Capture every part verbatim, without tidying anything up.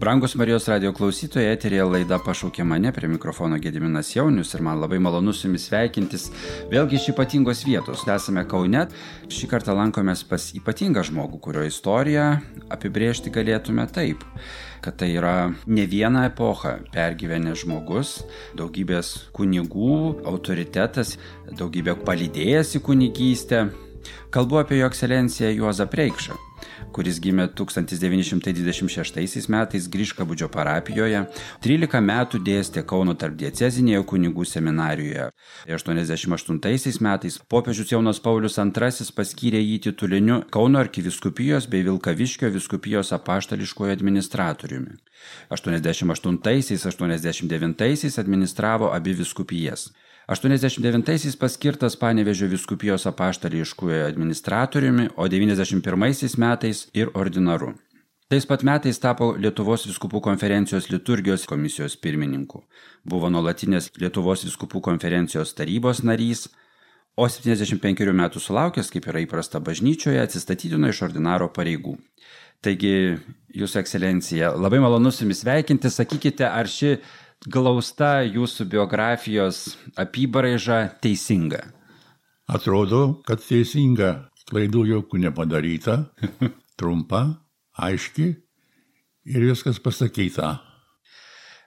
Brangus Marijos radio klausytojai, eteryje laida Pašaukė mane, prie mikrofono Gediminas Jaunius ir man labai malonu su jumis sveikintis vėlgi iš ypatingos vietos. Esame Kaune, šį kartą lankomės pas ypatingą žmogų, kurio istoriją apibrėžti galėtume taip, kad tai yra ne vieną epochą pergyvenęs žmogus, daugybės kunigų autoritetas, daugybė palydėjęs į kunigystę. Kalbu apie jo ekscelenciją Juozą Preikšą, kuris gimė tūkstantis devyni šimtai dvidešimt šeštaisiais metais Griškabūdžio parapijoje, trylika metų dėstė Kauno tarpdiecezinėje kunigų seminarijoje. aštuoniasdešimt aštuntaisiais metais popiežius Jonas Paulius antrasis paskyrė jį tituliniu Kauno arkivyskupijos bei Vilkaviškio vyskupijos apaštališkuoju administratoriumi. aštuoniasdešimt aštuntaisiais aštuoniasdešimt devintaisiais administravo abi vyskupijas. aštuoniasdešimt devintaisiais paskirtas Panevėžio vyskupijos apaštališkuoju administratoriumi, o devyniasdešimt pirmaisiais metais ir ordinaru. Tais pat metais tapo Lietuvos vyskupų konferencijos liturgijos komisijos pirmininku. Buvo nuolatinės Lietuvos vyskupų konferencijos tarybos narys, o septyniasdešimt penkerių metų sulaukęs, kaip yra įprasta bažnyčioje, atsistatydino iš ordinaro pareigų. Taigi, Jūsų ekscelencija, labai malonu su jumis sveikinti. Sakykite, ar ši glausta jūsų biografijos apybraiža teisinga? Atrodo, kad teisinga. Klaidų jokių nepadaryta, trumpa, aiški ir viskas pasakyta.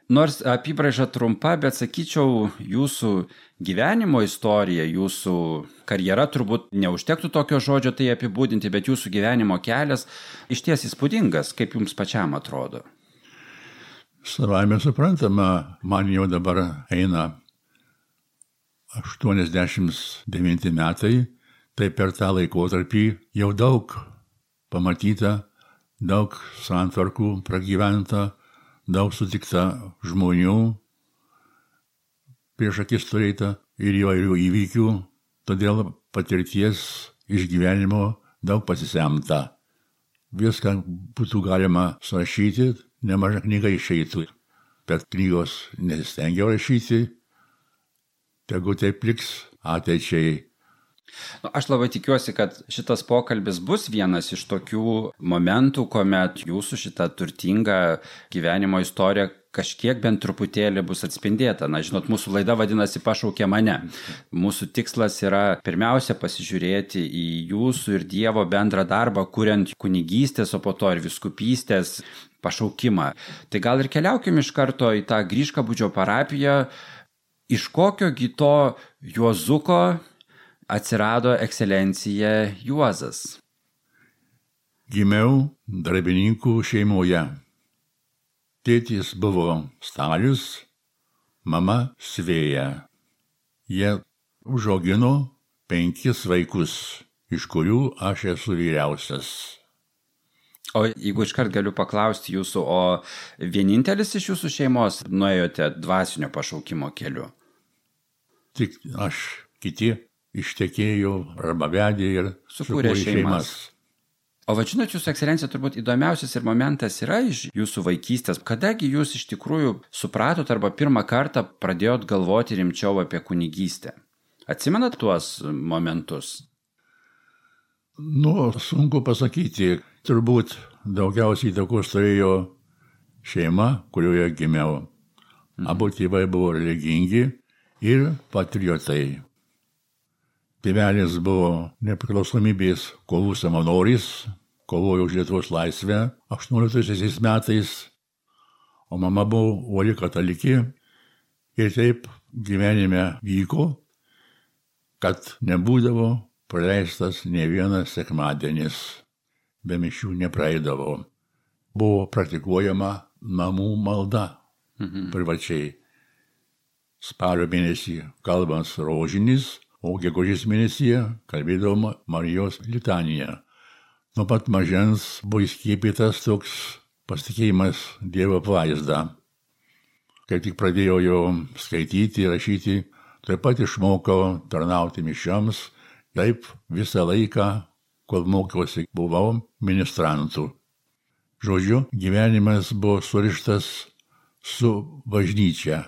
Nors apybraiža trumpa, bet sakyčiau, jūsų gyvenimo istorija, jūsų karjera, turbūt neužtektų tokio žodžio tai apibūdinti, bet jūsų gyvenimo kelias išties įspūdingas, kaip jums pačiam atrodo. Savaime suprantama, man jau dabar eina aštuoniasdešimt devinti metai, tai per tą laikotarpį jau daug pamatyta, daug santvarkų pragyventa, daug sutikta žmonių, prieš akis turėta ir įvairių įvykių, todėl patirties išgyvenimo daug pasisemta. Viską būtų galima surašyti, nemaža knyga išeitų, bet knygos nesistengiau rašyti, tegu taip liks ateičiai. Nu, aš labai tikiuosi, kad šitas pokalbis bus vienas iš tokių momentų, kuomet jūsų šita turtinga gyvenimo istorija kažkiek bent truputėlį bus atspindėta. Na, žinot, mūsų laida vadinasi Pašaukė mane. Mūsų tikslas yra pirmiausia pasižiūrėti į jūsų ir Dievo bendrą darbą, kuriant kunigystės, o po to ir vyskupystės pašaukimą. Tai gal ir keliaukim iš karto į tą Griškabūdžio parapiją. Iš kokio gi to Juozuko atsirado ekscelencija Juozas? Gimiau darbininkų šeimoje. Tėtis buvo Stalius, mama Svėja. Jie užaugino penkis vaikus, iš kurių aš esu vyriausias. O jeigu iškart galiu paklausti jūsų, o vienintelis iš jūsų šeimos nuėjote dvasinio pašaukimo keliu? Tik aš, kiti ištekėjo arba vedė ir sukūrė šeimas. O va, žinot, jūsų ekscelencija, turbūt įdomiausias ir momentas yra iš jūsų vaikystės. Kadagi jūs iš tikrųjų supratot arba pirmą kartą pradėjot galvoti rimčiau apie kunigystę? Atsimenat tuos momentus? Nu, sunku pasakyti. Turbūt daugiausiai įtakos turėjo šeima, kurioje gimiau. Abu tėvai buvo religingi ir patriotai. Tėvelis buvo nepriklausomybės kovų savanoris, kovojo už Lietuvos laisvę aštuonioliktaisiais metais, o mama buvo uoli katalikė ir taip gyvenime vyko, kad nebūdavo praleistas ne vienas sekmadienis, be mišių nepraeidavo. Buvo praktikuojama namų malda mhm. privačiai. Spalio mėnesį kalbant rožinis, o gegužės mėnesyje kalbėdavo Marijos litaniją. Nuo pat mažens buvo įskiepytas toks pasitikėjimas Dievo apvaizda. Kai tik pradėjau jau skaityti, rašyti, taip pat išmokau tarnauti mišioms, taip visą laiką, kol mokiausi, buvau ministrantu. Žodžiu, gyvenimas buvo surištas su bažnyčia.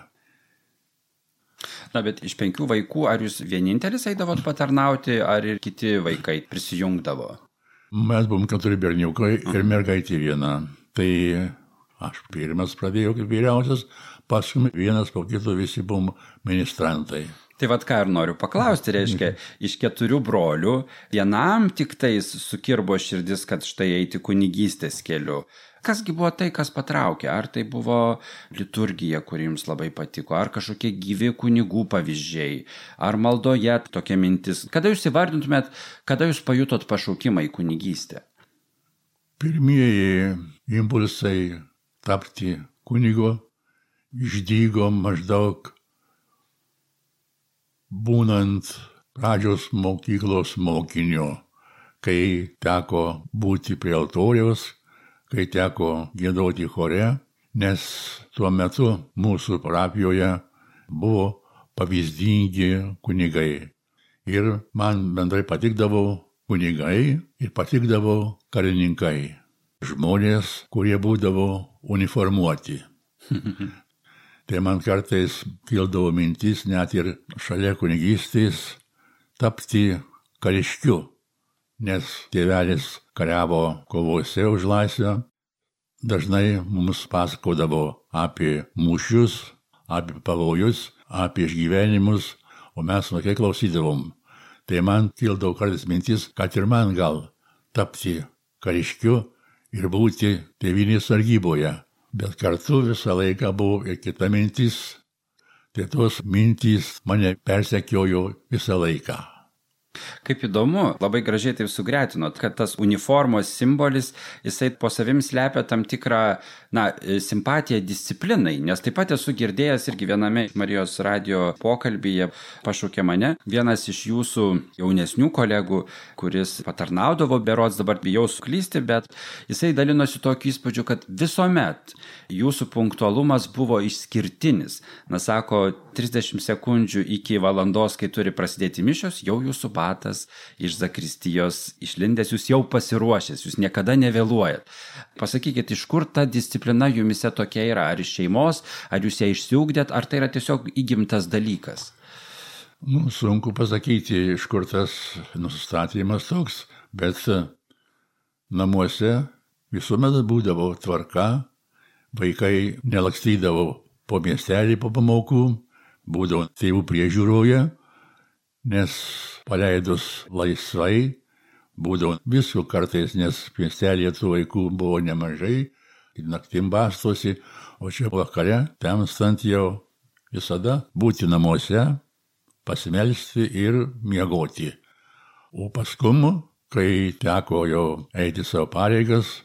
Na, bet iš penkių vaikų, ar jūs vienintelis eidavot patarnauti, ar ir kiti vaikai prisijungdavo? Mes buvom keturi berniukai ir mergaitė viena. Tai Aš pirmas pradėjau kaip vyriausias, paskui vienas po kito visi buvom ministrantai. Tai vad ką ir noriu paklausti, reiškia, iš keturių brolių vienam tik tais sukirbo širdis, kad štai eiti kunigystės keliu. Kasgi buvo tai, kas patraukė? Ar tai buvo liturgija, kuri jums labai patiko? Ar kažkokie gyvi kunigų pavyzdžiai? Ar maldoje tokia mintis? Kada jūs įvardintumėt, kada jūs pajutot pašaukimą į kunigystę? Pirmieji impulsai tapti kunigo išdygo maždaug būnant pradžios mokyklos mokinio, kai teko būti prie altoriaus, kai teko giedoti chore, nes tuo metu mūsų parapijoje buvo pavyzdingi kunigai. Ir man bendrai patikdavo kunigai ir patikdavo karininkai. Žmonės, kurie būdavo uniformuoti. Tai man kartais kildavo mintis net ir šalia kunigystės tapti kariškiu, nes tėvelis kariavo kovose už laisvę, dažnai mums pasakodavo apie mūšius, apie pavojus, apie išgyvenimus, o mes vaikai klausydavom. Tai man kildavo kartais mintis, kad ir man gal tapti kariškiu ir būti tėvynės sargyboje. Bet kartu visą laiką buvo ir kita mintis, tai tos mintys mane persekiojo visą laiką. Kaip įdomu, labai gražiai taip sugretinot, kad tas uniformos simbolis, jisai po savim slepia tam tikrą, na, simpatiją disciplinai, nes taip pat esu girdėjęs irgi viename Marijos radijo pokalbyje pašaukė mane vienas iš jūsų jaunesnių kolegų, kuris patarnaudavo berods, dabar bijau suklysti, bet jisai dalinosi tokiu įspūdžiu, kad visuomet jūsų punktualumas buvo išskirtinis. Na, sako, trisdešimt sekundžių iki valandos, kai turi prasidėti mišios, jau jūsų batas iš zakristijos išlindęs, jūs jau pasiruošęs, jūs niekada nevėluojat. Pasakykit, iš kur ta disciplina jumise tokia yra? Ar iš šeimos, ar jūs ją išsiugdėt, ar tai yra tiesiog įgimtas dalykas? Nu, sunku pasakyti, iš kur tas nusistatymas toks, bet namuose visuomet būdavo tvarka, vaikai nelakstydavo po miestelį po pamokų, būdavo tėvų priežiūroje, nes paleidus laisvai, būdavo visko kartais, nes miestelėje tų vaikų buvo nemažai, naktim bastosi, o čia vakare, temstant jau visada būti namuose, pasimelsti ir miegoti. O paskui, kai teko jau eiti savo pareigas,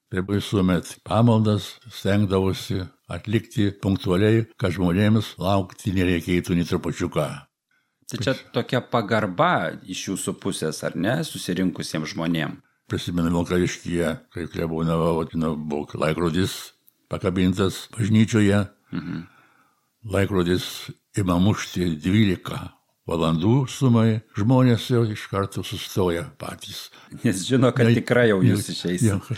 tai visuomet pamaldas stengdavosi atlikti punktualiai, kad žmonėms laukti nereikėtų nei trupučiuką. Tai čia tokia pagarba iš jūsų pusės, ar ne, susirinkusiems žmonėms? Prisimenu Vilkaviškyje, kai klebonavo, buvo laikrodis pakabintas bažnyčioje. Mhm. Laikrodis ima mušti dvylika valandų sumai, žmonės jau iš karto sustoja patys. Nes žino, kad tikrai jau jūs išeisit.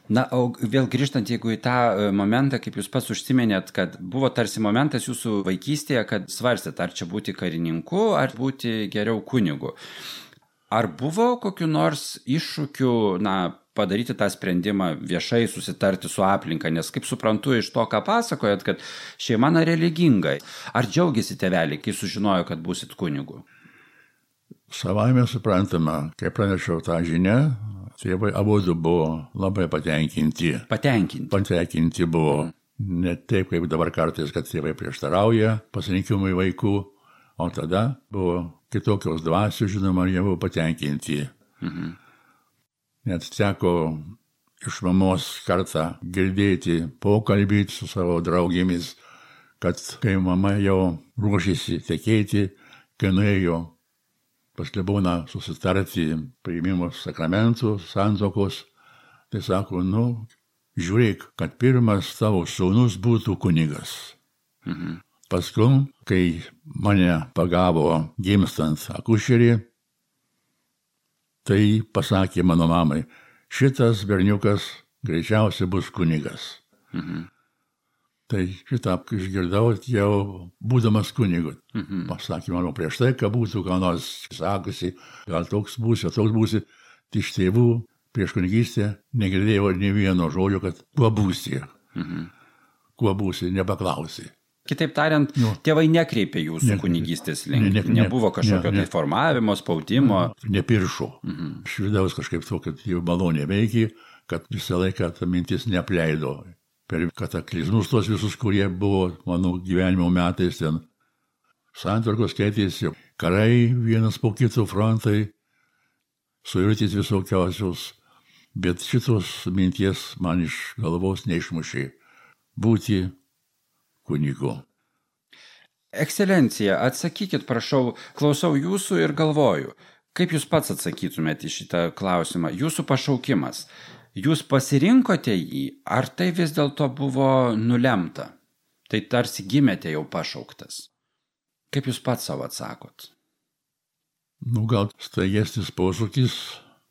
Na, o vėl grįžtant, jeigu į tą momentą, kaip jūs pats užsiminėt, kad buvo tarsi momentas jūsų vaikystėje, kad svarstėt, ar čia būti karininku, ar būti geriau kunigu. Ar buvo kokiu nors iššūkiu, na, padaryti tą sprendimą viešai, susitarti su aplinka, nes kaip suprantu iš to, ką pasakojat, kad šeima na religingai. Ar džiaugiasi tėveliai, kai sužinojo, kad būsit kunigu? Savaime suprantama, kai pranešiau tą žinią, tėvai abudu buvo labai patenkinti. Patenkinti? Patenkinti buvo. Ne taip, kaip dabar kartais, kad tėvai prieštarauja pasirinkimui vaikų, o tada buvo kitokios dvasios, žinoma, jie buvo patenkinti. Mhm. Net teko iš mamos kartą girdėti pokalbį su savo draugėmis, kad kai mama jau ruošėsi tekėti, kai nuėjo pas kleboną susitarti priėmimo sakramentų, santuokos, tai sako, nu, žiūrėk, kad pirmas tavo sūnus būtų kunigas. Mhm. Paskui, kai mane pagavo gimstant akušerį, tai pasakė mano mamai, šitas berniukas greičiausiai bus kunigas. Mhm. Tai šitą išgirdau jau būdamas kunigu. Mhm. Pasakė mano prieš tai, kad būtų ką nors sakusi, gal toks būsi, toks būsi. Iš tėvų prieš kunigystę negirdėjau ne vieno žodžio, kad kuo būsi. Mhm. Kuo būsi, nepaklausi. Kitaip tariant, nu, tėvai nekreipė jūsų ne, kunigystės link. Ne, ne, Nebuvo kažkokio ne, ne, tai formavimo, spaudimo. Nepiršo. Mhm. Iš vidaus kažkaip to, kad jau malonė veikia, kad visą laiką ta mintis neapleido. Per kataklizmus tos visus, kurie buvo mano gyvenimo metais ten. Santvarkos keitėsi, karai vienas po kito frontai, suirtys visokiausios, bet šitos minties man iš galvos neišmušė būti kunigu. Ekscelencija, atsakykit, prašau, klausau jūsų ir galvoju, kaip jūs pats atsakytumėte į šitą klausimą. Jūsų pašaukimas, jūs pasirinkote jį, ar tai vis dėlto buvo nulemta? Tai tarsi gimėte jau pašauktas. Kaip jūs pats savo atsakot? Nu, gal staigesnis posūkis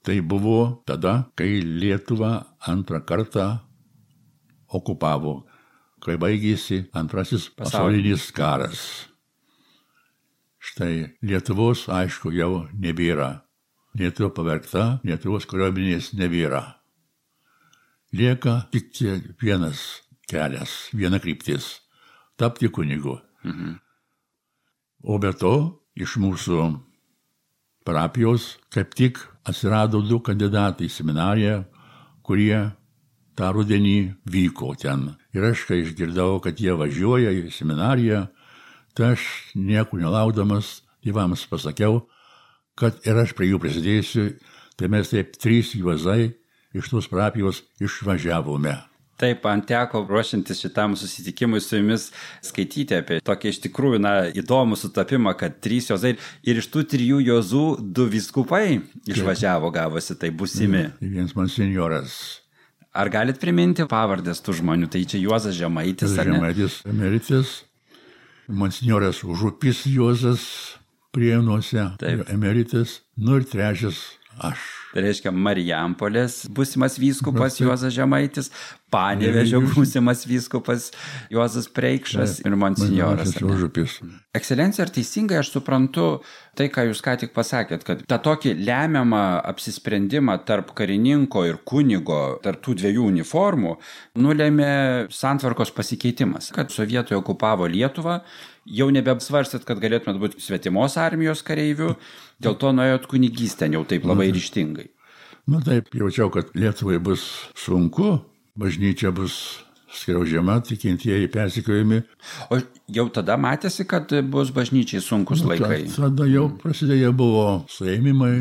tai buvo tada, kai Lietuvą antrą kartą okupavo, kai baigėsi antrasis pasaulinis karas. Štai Lietuvos, aišku, jau nebėra. Lietuva pavergta, Lietuvos kariuomenės nebėra. Lieka tik vienas kelias, viena kryptis – tapti kunigu. Mhm. O be to, iš mūsų parapijos kaip tik atsirado du kandidatai į seminariją, kurie tą rudenį vyko ten. Ir aš, kai išgirdau, kad jie važiuoja į seminariją, tai aš nieko nelaukdamas tėvams pasakiau, kad ir aš prie jų prisidėsiu, tai mes taip trys juozai iš tos parapijos išvažiavome. Taip, man teko ruošiantis šitam susitikimui su jumis skaityti apie tokį iš tikrųjų na, įdomų sutapimą, kad trys juozai ir iš tų trijų juozų du vyskupai išvažiavo, gavosi, tai būsimi. Vienas monsinjoras. Ar galit priminti pavardės tų žmonių? Tai čia Juozas Žemaitis, ar ne? Žemaitis, emeritis, monsinjoras Užupis Juozas Priėnuose, emeritis, nu ir trečias aš. Tai reiškia Marijampolės būsimas vyskupas Juozas Žemaitis, Panevėžio būsimas vyskupas Juozas Preikšas ir monsinjoras. Ekscelencija, ar teisingai aš suprantu tai, ką jūs ką tik pasakėt, kad tą tokį lemiamą apsisprendimą tarp karininko ir kunigo, tarp tų dviejų uniformų, nulėmė santvarkos pasikeitimas, kad sovietai okupavo Lietuvą, jau nebesvarstėt, kad galėtumėt būti svetimos armijos kareivių, dėl to nuėjot kunigystę jau taip labai ryžtingai. Na taip, jaučiau, kad Lietuvai bus sunku, bažnyčia bus skriaudžiama, tikintieji persekiojami. O jau tada matėsi, kad bus bažnyčiai sunkus nu, laikai? Tada jau prasidėjo buvo suėmimai,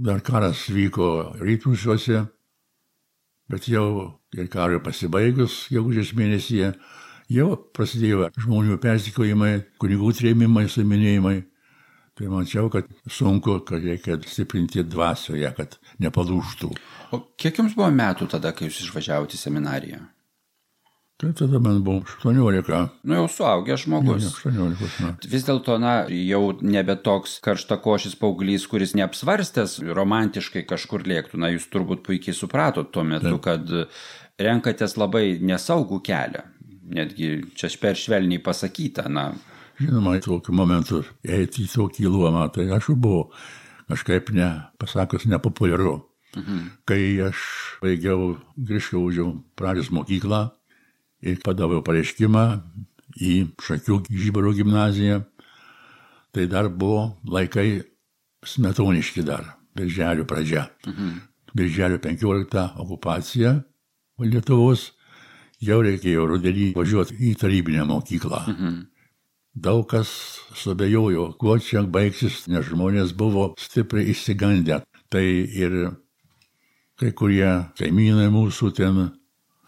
dar karas vyko rytprūsiuose, bet jau ir karui pasibaigus, gegužės mėnesyje, jau prasidėjo žmonių persekiojimai, kunigų trėmimai, suiminėjimai. Tai mačiau, kad sunku, kad reikia stiprinti dvasioje, kad nepalūžtų. O kiek jums buvo metų tada, kai jūs išvažiavote į seminariją? Tai tada man buvo aštuoniolika. Nu jau suaugęs žmogus. Ja, aštuoniolika metų. Vis dėlto, na, jau nebe toks karštakošis paauglys, kuris neapsvarstęs romantiškai kažkur lėktų. Na, jūs turbūt puikiai supratot tuo metu, Taip. Kad renkatės labai nesaugų kelią. Netgi čia per švelniai pasakyta, na... Žinoma, tokiu momentu eiti į tokį luomą, tai aš buvau kažkaip ne, pasakus, nepopuliaru. Mhm. Kai aš baigiau Griškaužio pradžios mokyklą ir padaviau pareiškimą į Šakių Žibaro gimnaziją, tai dar buvo laikai smetoniški dar, birželio pradžia. Mhm. Birželio penkioliktą okupacija Lietuvos, jau reikėjo rudenį važiuoti į tarybinę mokyklą. Mhm. Daug kas suabejojo, kuo čia baigsis, nes žmonės buvo stipriai išsigandę. Tai ir kai kurie kaimynai mūsų ten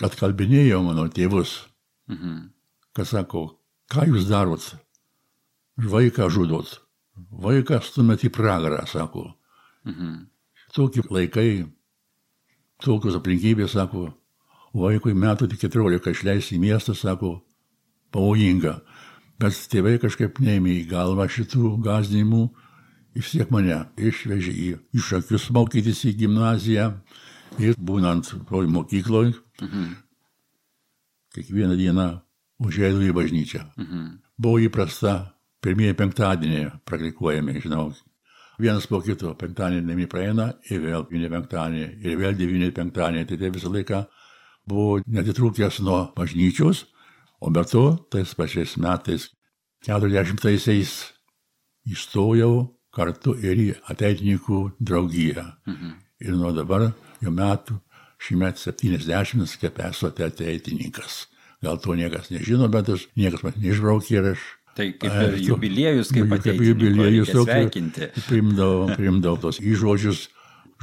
atkalbinėjo mano tėvus. Mhm. Kas sako, ką jūs darot? Vaiką žudot. Vaiką stumėt į pragarą, sako. Mhm. Tokie laikai, tokios aplinkybės, sako, vaikui metų tik keturiolika išleisti į miestą, sako, pavojinga. Bet tėvai kažkaip neėmė į galvą šitų gąsdinimų, vis tiek mane išvežė į, į Šakius mokytis į gimnaziją ir būnant toj mokykloj, mhm. kiekvieną dieną užėjau į bažnyčią. Mhm. Buvo įprasta pirmieji penktadieniai praktikuojami, žinau. Vienas po kito penktadienį praeina ir vėl devyni penktadienį ir vėl devyni penktadienį, tai tai visą laiką buvau netitrūkęs nuo bažnyčios, o be to, tais pačiais metais, keturiasdešimtaisiais įstojau kartu ir į ateitininkų draugiją. Mhm. Ir nuo dabar jau metų, šįmet septyniasdešimt, kaip esu ateitininkas. Gal to niekas nežino, bet aš, niekas man neišbraukė ir aš... Tai kaip ir jubiliejus, kaip ateitininko, reikia sveikinti. Primdavau, primdavau tos įžodžius,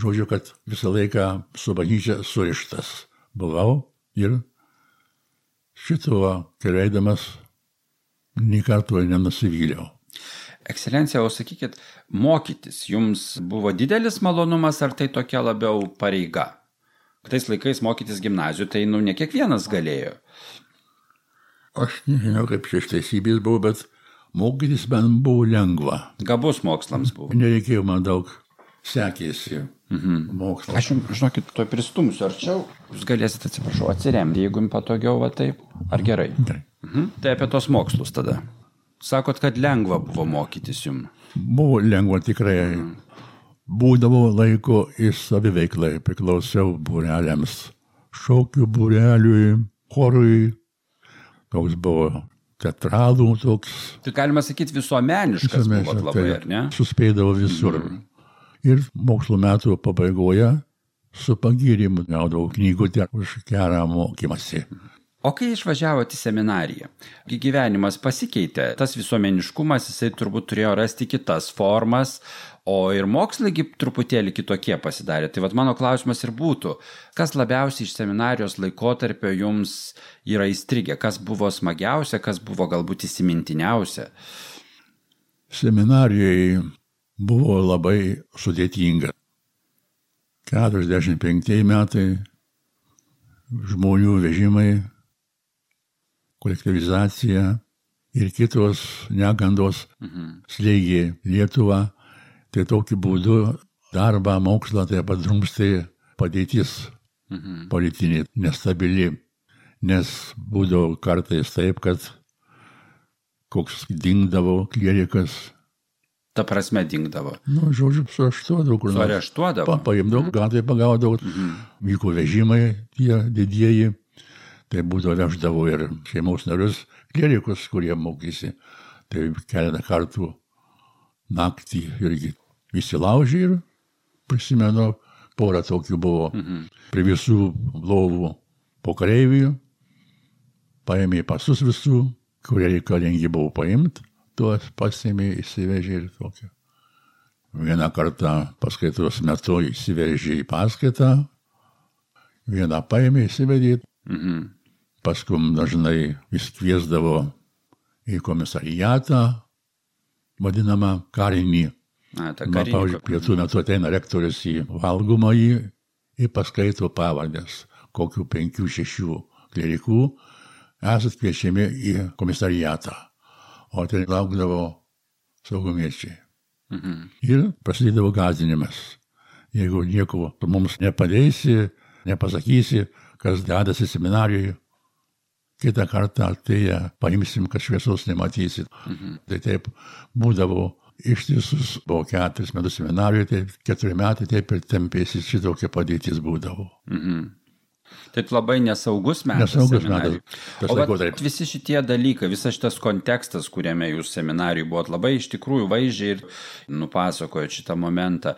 žodžiu, kad visą laiką su bažnyčia surištas buvau ir šituo keliaidamas nė karto nenusivyliau. Ekscelencija, o sakykit, mokytis jums buvo didelis malonumas, ar tai tokia labiau pareiga? Tais laikais mokytis gimnazijų, tai nu ne kiekvienas galėjo. Aš nežinau, kaip šeštaisybės buvo, bet mokytis man buvo lengva. Gabus mokslams buvo. Nereikėjo man daug sekėsi mhm. mokslas. Aš jums, žinokit, to pristumsiu arčiau. Jūs galėsite, atsiprašau, atsiremti, jeigu jums patogiau va taip. Ar gerai? Gerai. Mhm. Tai apie tos mokslus tada. Sakot, kad lengva buvo mokytis jums. Buvo lengva tikrai. Mhm. Būdavo laiko ir saviveiklai, priklausiau būreliams. Šokių būreliui, chorui. Toks buvo teatralų, toks... Tai galima sakyti visuomeniškas buvo labai, ar ne? Suspėdavo visur. Mm. Ir mokslo metų pabaigoje su pagyrimu gaudavau knygutę už gerą mokymąsi. O kai išvažiavote į seminariją, gyvenimas pasikeitė, tas visuomeniškumas, jisai turbūt turėjo rasti kitas formas, o ir mokslai truputėlį kitokie pasidarė. Tai vat mano klausimas ir būtų, kas labiausiai iš seminarijos laikotarpio jums yra įstrigę, kas buvo smagiausia, kas buvo galbūt įsimintiniausia? Seminarijoje buvo labai sudėtinga. keturiasdešimt penktieji metai, žmonių vežimai, kolektyvizacija ir kitos negandos mhm. slėgė Lietuvą. Tai tokiu būdu darbą, mokslą tai padrumstė padėtis mhm. politinė, nestabili, nes būdavo kartais taip, kad koks dingdavo klierikas. Ta prasme dingdavo? Nu, žodžiu, suareštuodavo. Su areštuodavo? Pa, paimdavo, mhm. gatvėje pagaudavo, mhm. vyko vežimai tie didieji. Tai būdavo veždavo ir šeimos narius klierikus, kurie mokysi. Tai keletą kartų naktį irgi visi laužė ir prisimenu, porą tokių buvo. Mhm. Prie visų lovų po kareivių, paėmė pasus visų, kurie reikalingi buvo paimti, tuos pasiėmė, įsivežė ir tokią. Vieną kartą paskaitos metu įsivežė į paskaitą, vieną paėmė, įsivedė. Mhm. Paskui dažnai vis kviesdavo į komisariatą, vadinamą karinį. Na, ta karinį. Pavyzdžiui, pietų metu ateina rektorius į valgomąjį ir paskaito pavardės, kokių penkių, šešių klerikų esat kviečiami į komisariatą. O ten laukdavo saugumiečiai. Mhm. Ir prasidėdavo gąsdinimas. Jeigu nieko mums nepadėsi, nepasakysi, kas dedasi seminarijoje, kitą kartą atėję paimsim, kad šviesos nematysit. Mhm. Tai taip būdavo ištisus, buvo keturis metus seminarijoje, tai keturi metai taip ir tempėsi, šitokia padėtis būdavo. Mhm. Tai labai nesaugus metas. Nesaugus metas. O vat, visi šitie dalykai, visas šitas kontekstas, kuriame jūs seminarijų buvot, labai iš tikrųjų vaizdžiai ir nupasakojot šitą momentą.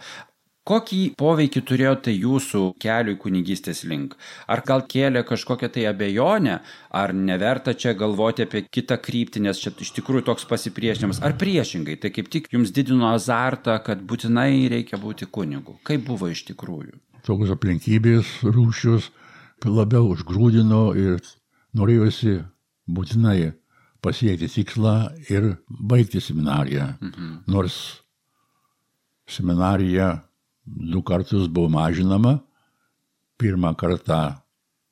Kokį poveikį turėjo tai jūsų keliui kunigystės link? Ar gal kėlė kažkokią tai abejonę, ar neverta čia galvoti apie kitą kryptį, nes čia iš tikrųjų toks pasipriešinimas, ar priešingai, tai kaip tik jums didino azartą, kad būtinai reikia būti kunigu? Kaip buvo iš tikrųjų? Tokios aplinkybės, rūšius labiau užgrūdino ir norėjosi būtinai pasiekti tikslą ir baigti seminariją. Mhm. Nors seminarija du kartus buvo mažinama, pirmą kartą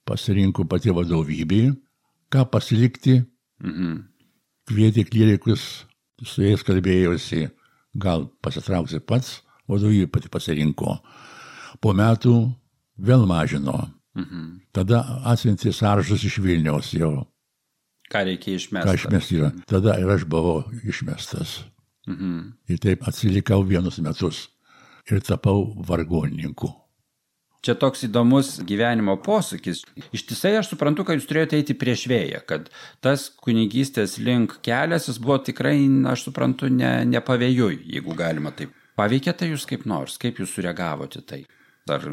pasirinko pati vadovybė, ką pasilikti, mhm. kvietė klierikus, su jais kalbėjosi, gal pasitrauksi pats, vadovybė pati pasirinko. Po metų vėl mažino. Mhm. Tada atsiuntė sąrašus iš Vilniaus jau. Ką reikia išmesti? Ką išmesti yra. Tada ir aš buvau išmestas. Mhm. Ir taip atsilikau vienus metus. Ir tapau vargonininku. Čia toks įdomus gyvenimo posūkis. Ištisai aš suprantu, kad jūs turėjote eiti prieš vėją, kad tas kunigystės link kelias jis buvo tikrai, aš suprantu, ne, ne pavėjui, jeigu galima taip. Paveikė tai jūs kaip nors, kaip jūs sureagavote tai? Ar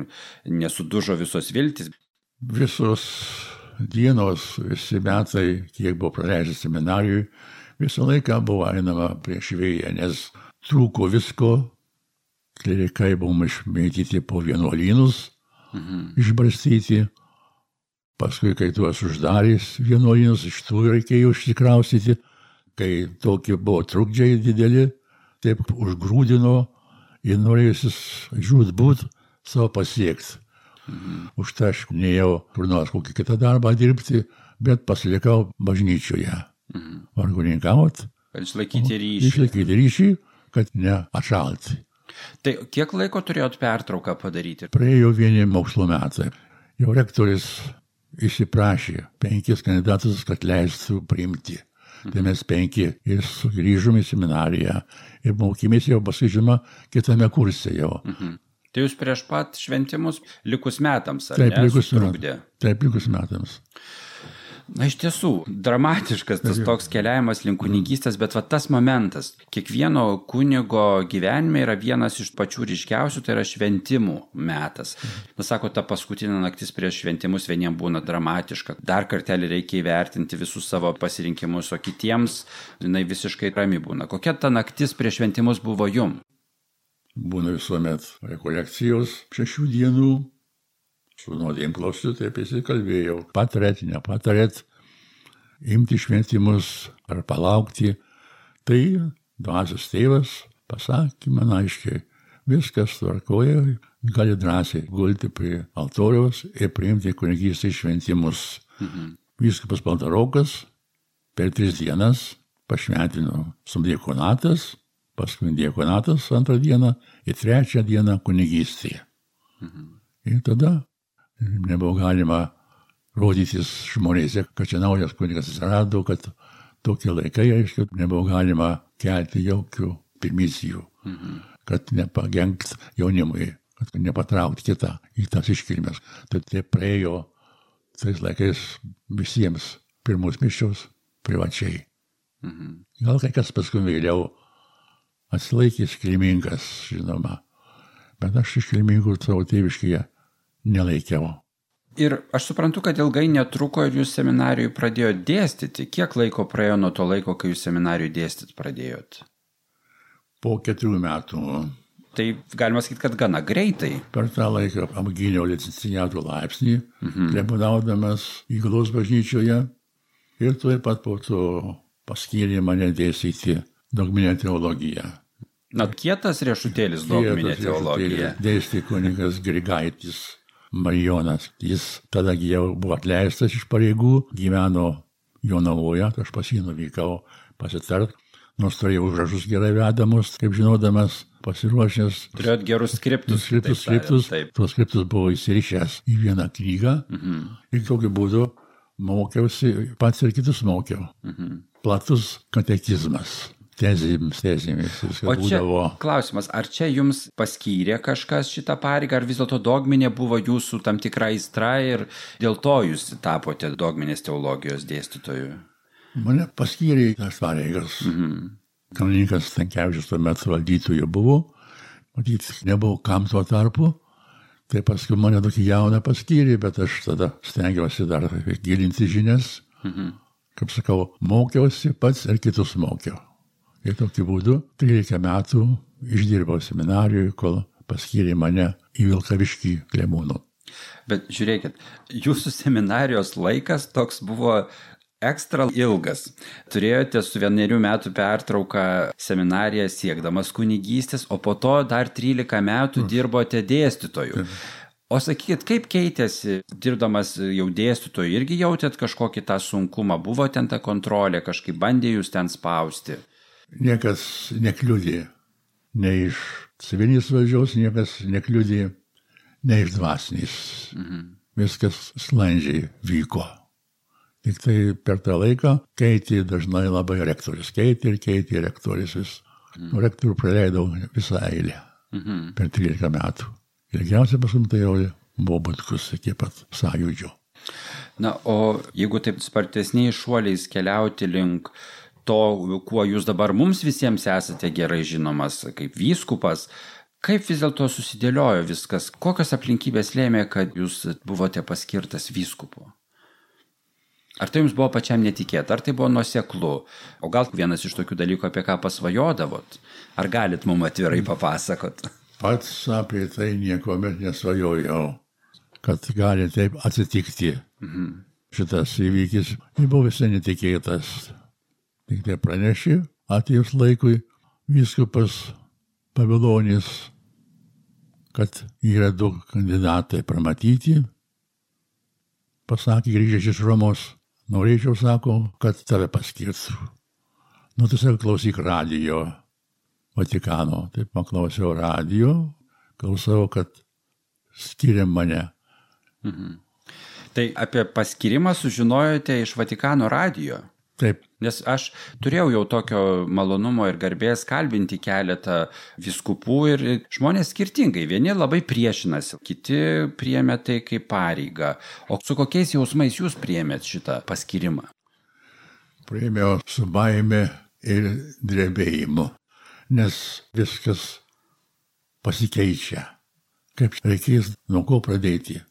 nesudužo visos viltis? Visos dienos, visi metai, kiek buvo praleidęs seminarijui, visą laiką buvo einama prieš vėją, nes trūko visko, klerikai buvom išmėtyti po vienuolynus, mhm. išbarstyti, paskui, kai tuos uždarys vienuolynus, iš tų reikėjo išsikraustyti, kai tokie buvo trukdžiai dideli, taip užgrūdino ir norėjusis žūtbūt savo pasiekti. Mhm. Už tai aš neėjau kur nors kokį kitą darbą dirbti, bet pasilikau bažnyčioje. Mhm. Vargoninkavot. Kad išlaikyti ryšį. Išlaikyti ryšį, kad neatšalti. Tai kiek laiko turėjot pertrauką padaryti? Praėjo vieni mokslo metai. Jau rektorius įsiprašė penkis kandidatus, kad leistų priimti. Mhm. Tai mes penki ir sugrįžom į seminariją ir mokymės jau pasižymą kitame kurse jau. Mhm. Tai jūs prieš pat šventimus likus metams, ar taip, ne? Likus trukdė. Taip, likus metams. Na, iš tiesų, dramatiškas tas toks keliavimas link kunigystės, bet va tas momentas, kiekvieno kunigo gyvenime yra vienas iš pačių ryškiausių, tai yra šventimų metas. Na, sako, ta paskutinė naktis prieš šventimus vieniems būna dramatiška. Dar kartelį reikia įvertinti visus savo pasirinkimus, o kitiems jinai visiškai rami būna. Kokia ta naktis prieš šventimus buvo jum? Būna visuomet rekolekcijos šešių dienų. Su nuodėmklausiu taip įsikalbėjau. Patarėt, nepatarėt, imti šventimus ar palaukti. Tai dvasios tėvas pasakė man aiškiai, viskas tvarkoja, gali drąsiai gulti prie altoriaus ir priimti kunigystės šventimus. Mhm. Vyskupas Baltarokas per tris dienas pašventino subdiakonatas, paskui diakonatas antrą dieną ir trečią dieną kunigystėje. Mhm. Ir tada nebuvo galima rodytis žmonėse, kad čia naujas kunigas atsirado, kad tokie laikai, aiškiai, nebuvo galima kelti jokių primicijų, mhm. kad nepagenkt jaunimui, kad nepatraukti kitą į tas iškilmes. Tai tai praėjo tais laikais visiems pirmus mišios privačiai. Mhm. Gal kai kas paskui vėliau atsilaikė iškilmingas, žinoma, bet aš iškilmingų savo tėviškėje nelaikiau. Ir aš suprantu, kad ilgai netruko ir jūs seminarijui pradėjot dėstyti. Kiek laiko praėjo nuo to laiko, kai jūs seminarijui dėstyti pradėjot? Po keturių metų. Tai galima sakyti, kad gana greitai. Per tą laiką apgyniau licenciato laipsnį, mhm. klebonaudamas Įgulos bažnyčioje ir taip pat po to paskyrė mane dėstyti dogminę teologiją. Na, kietas riešutėlis dogminė teologija. Dėstė kunigas Grigaitis Marijonas. Jis tada jau buvo atleistas iš pareigų, gyveno Jonavoje, tai aš pas jį nuvykau pasitart, nors turėjau užrašus gerai vedamus, kaip žinodamas, pasiruošęs. Turėjot gerus skriptus. Skriptus, skriptus. Tuos skriptus buvo įsirišęs į vieną knygą mhm. ir tokiu būdu mokiausi, pats ir kitus mokiau. Mhm. Platus katekizmas. Tezėmis, tezėmis. O čia būdavo... klausimas, ar čia jums paskyrė kažkas šitą pareigą, ar vis dėlto dogminė buvo jūsų tam tikra aistra ir dėl to jūs tapote dogminės teologijos dėstytoju? Mane paskyrė tas pareigas. Mhm. Kanauninkas Stankevičius tuo metu valdytoju buvo, matyt, nebuvo kam tuo tarpu, tai paskui mane tokį jauną paskyrė, bet aš tada stengiausi dar gilinti žinias. Mhm. Kaip sakau, mokiausi pats ir kitus mokiau. Ir tokiu būdu trylika metų išdirbau seminarijui, kol paskyrė mane į Vilkaviškį klebonu. Bet žiūrėkit, jūsų seminarijos laikas toks buvo ekstra ilgas. Turėjote su vienerių metų pertrauką seminariją siekdamas kunigystės, o po to dar trylika metų dirbote dėstytoju. O sakykit, kaip keitėsi, dirbdamas jau dėstytoju, irgi jautėt kažkokį tą sunkumą, buvo ten ta kontrolė, kažkaip bandė jūs ten spausti? Niekas nekliudė, ne iš civilinės valdžios, niekas nekliudė, ne iš dvasinės. Mhm. Viskas sklandžiai vyko. Tik tai per tą laiką keitė dažnai labai rektorius. Keitė ir keitė rektorius vis. Mhm. Rektorių praleidau visą eilę mhm. per trylika metų. Ilgiausia paskui tai jau buvo Butkus iki pat sąjūdžio. Na, o jeigu taip spartesniais šuoliais keliauti link to, kuo jūs dabar mums visiems esate gerai žinomas kaip vyskupas, kaip vis dėlto susidėliojo viskas? Kokios aplinkybės lėmė, kad jūs buvote paskirtas vyskupu? Ar tai jums buvo pačiam netikėta, ar tai buvo nuoseklu? O gal vienas iš tokių dalykų, apie ką pasvajodavot? Ar galit mums atvirai papasakot? Pats apie tai niekuomet nesvajojau, kad gali taip atsitikti. Mhm. Šitas įvykis buvo visai netikėtas. Tik tai pranešė, atėjus laikui, vyskupas Pavilonis, kad yra du kandidatai pramatyti. Pasakė, grįžęs iš Romos, norėčiau, sako, kad tave paskirtų. Nu, tai sako, klausyk radijo Vatikano. Taip paklausiau radijo, klausau, kad skiria mane. Mhm. Tai apie paskirimą sužinojote iš Vatikano radijo? Taip. Nes aš turėjau jau tokio malonumo ir garbės kalbinti keletą vyskupų ir žmonės skirtingai. Vieni labai priešinasi, kiti priėmė tai kaip pareigą. O su kokiais jausmais jūs priėmėt šitą paskirimą? Priėmiau su baime ir drebėjimu, nes viskas pasikeičia. Kaip reikės, nuo ko pradėti?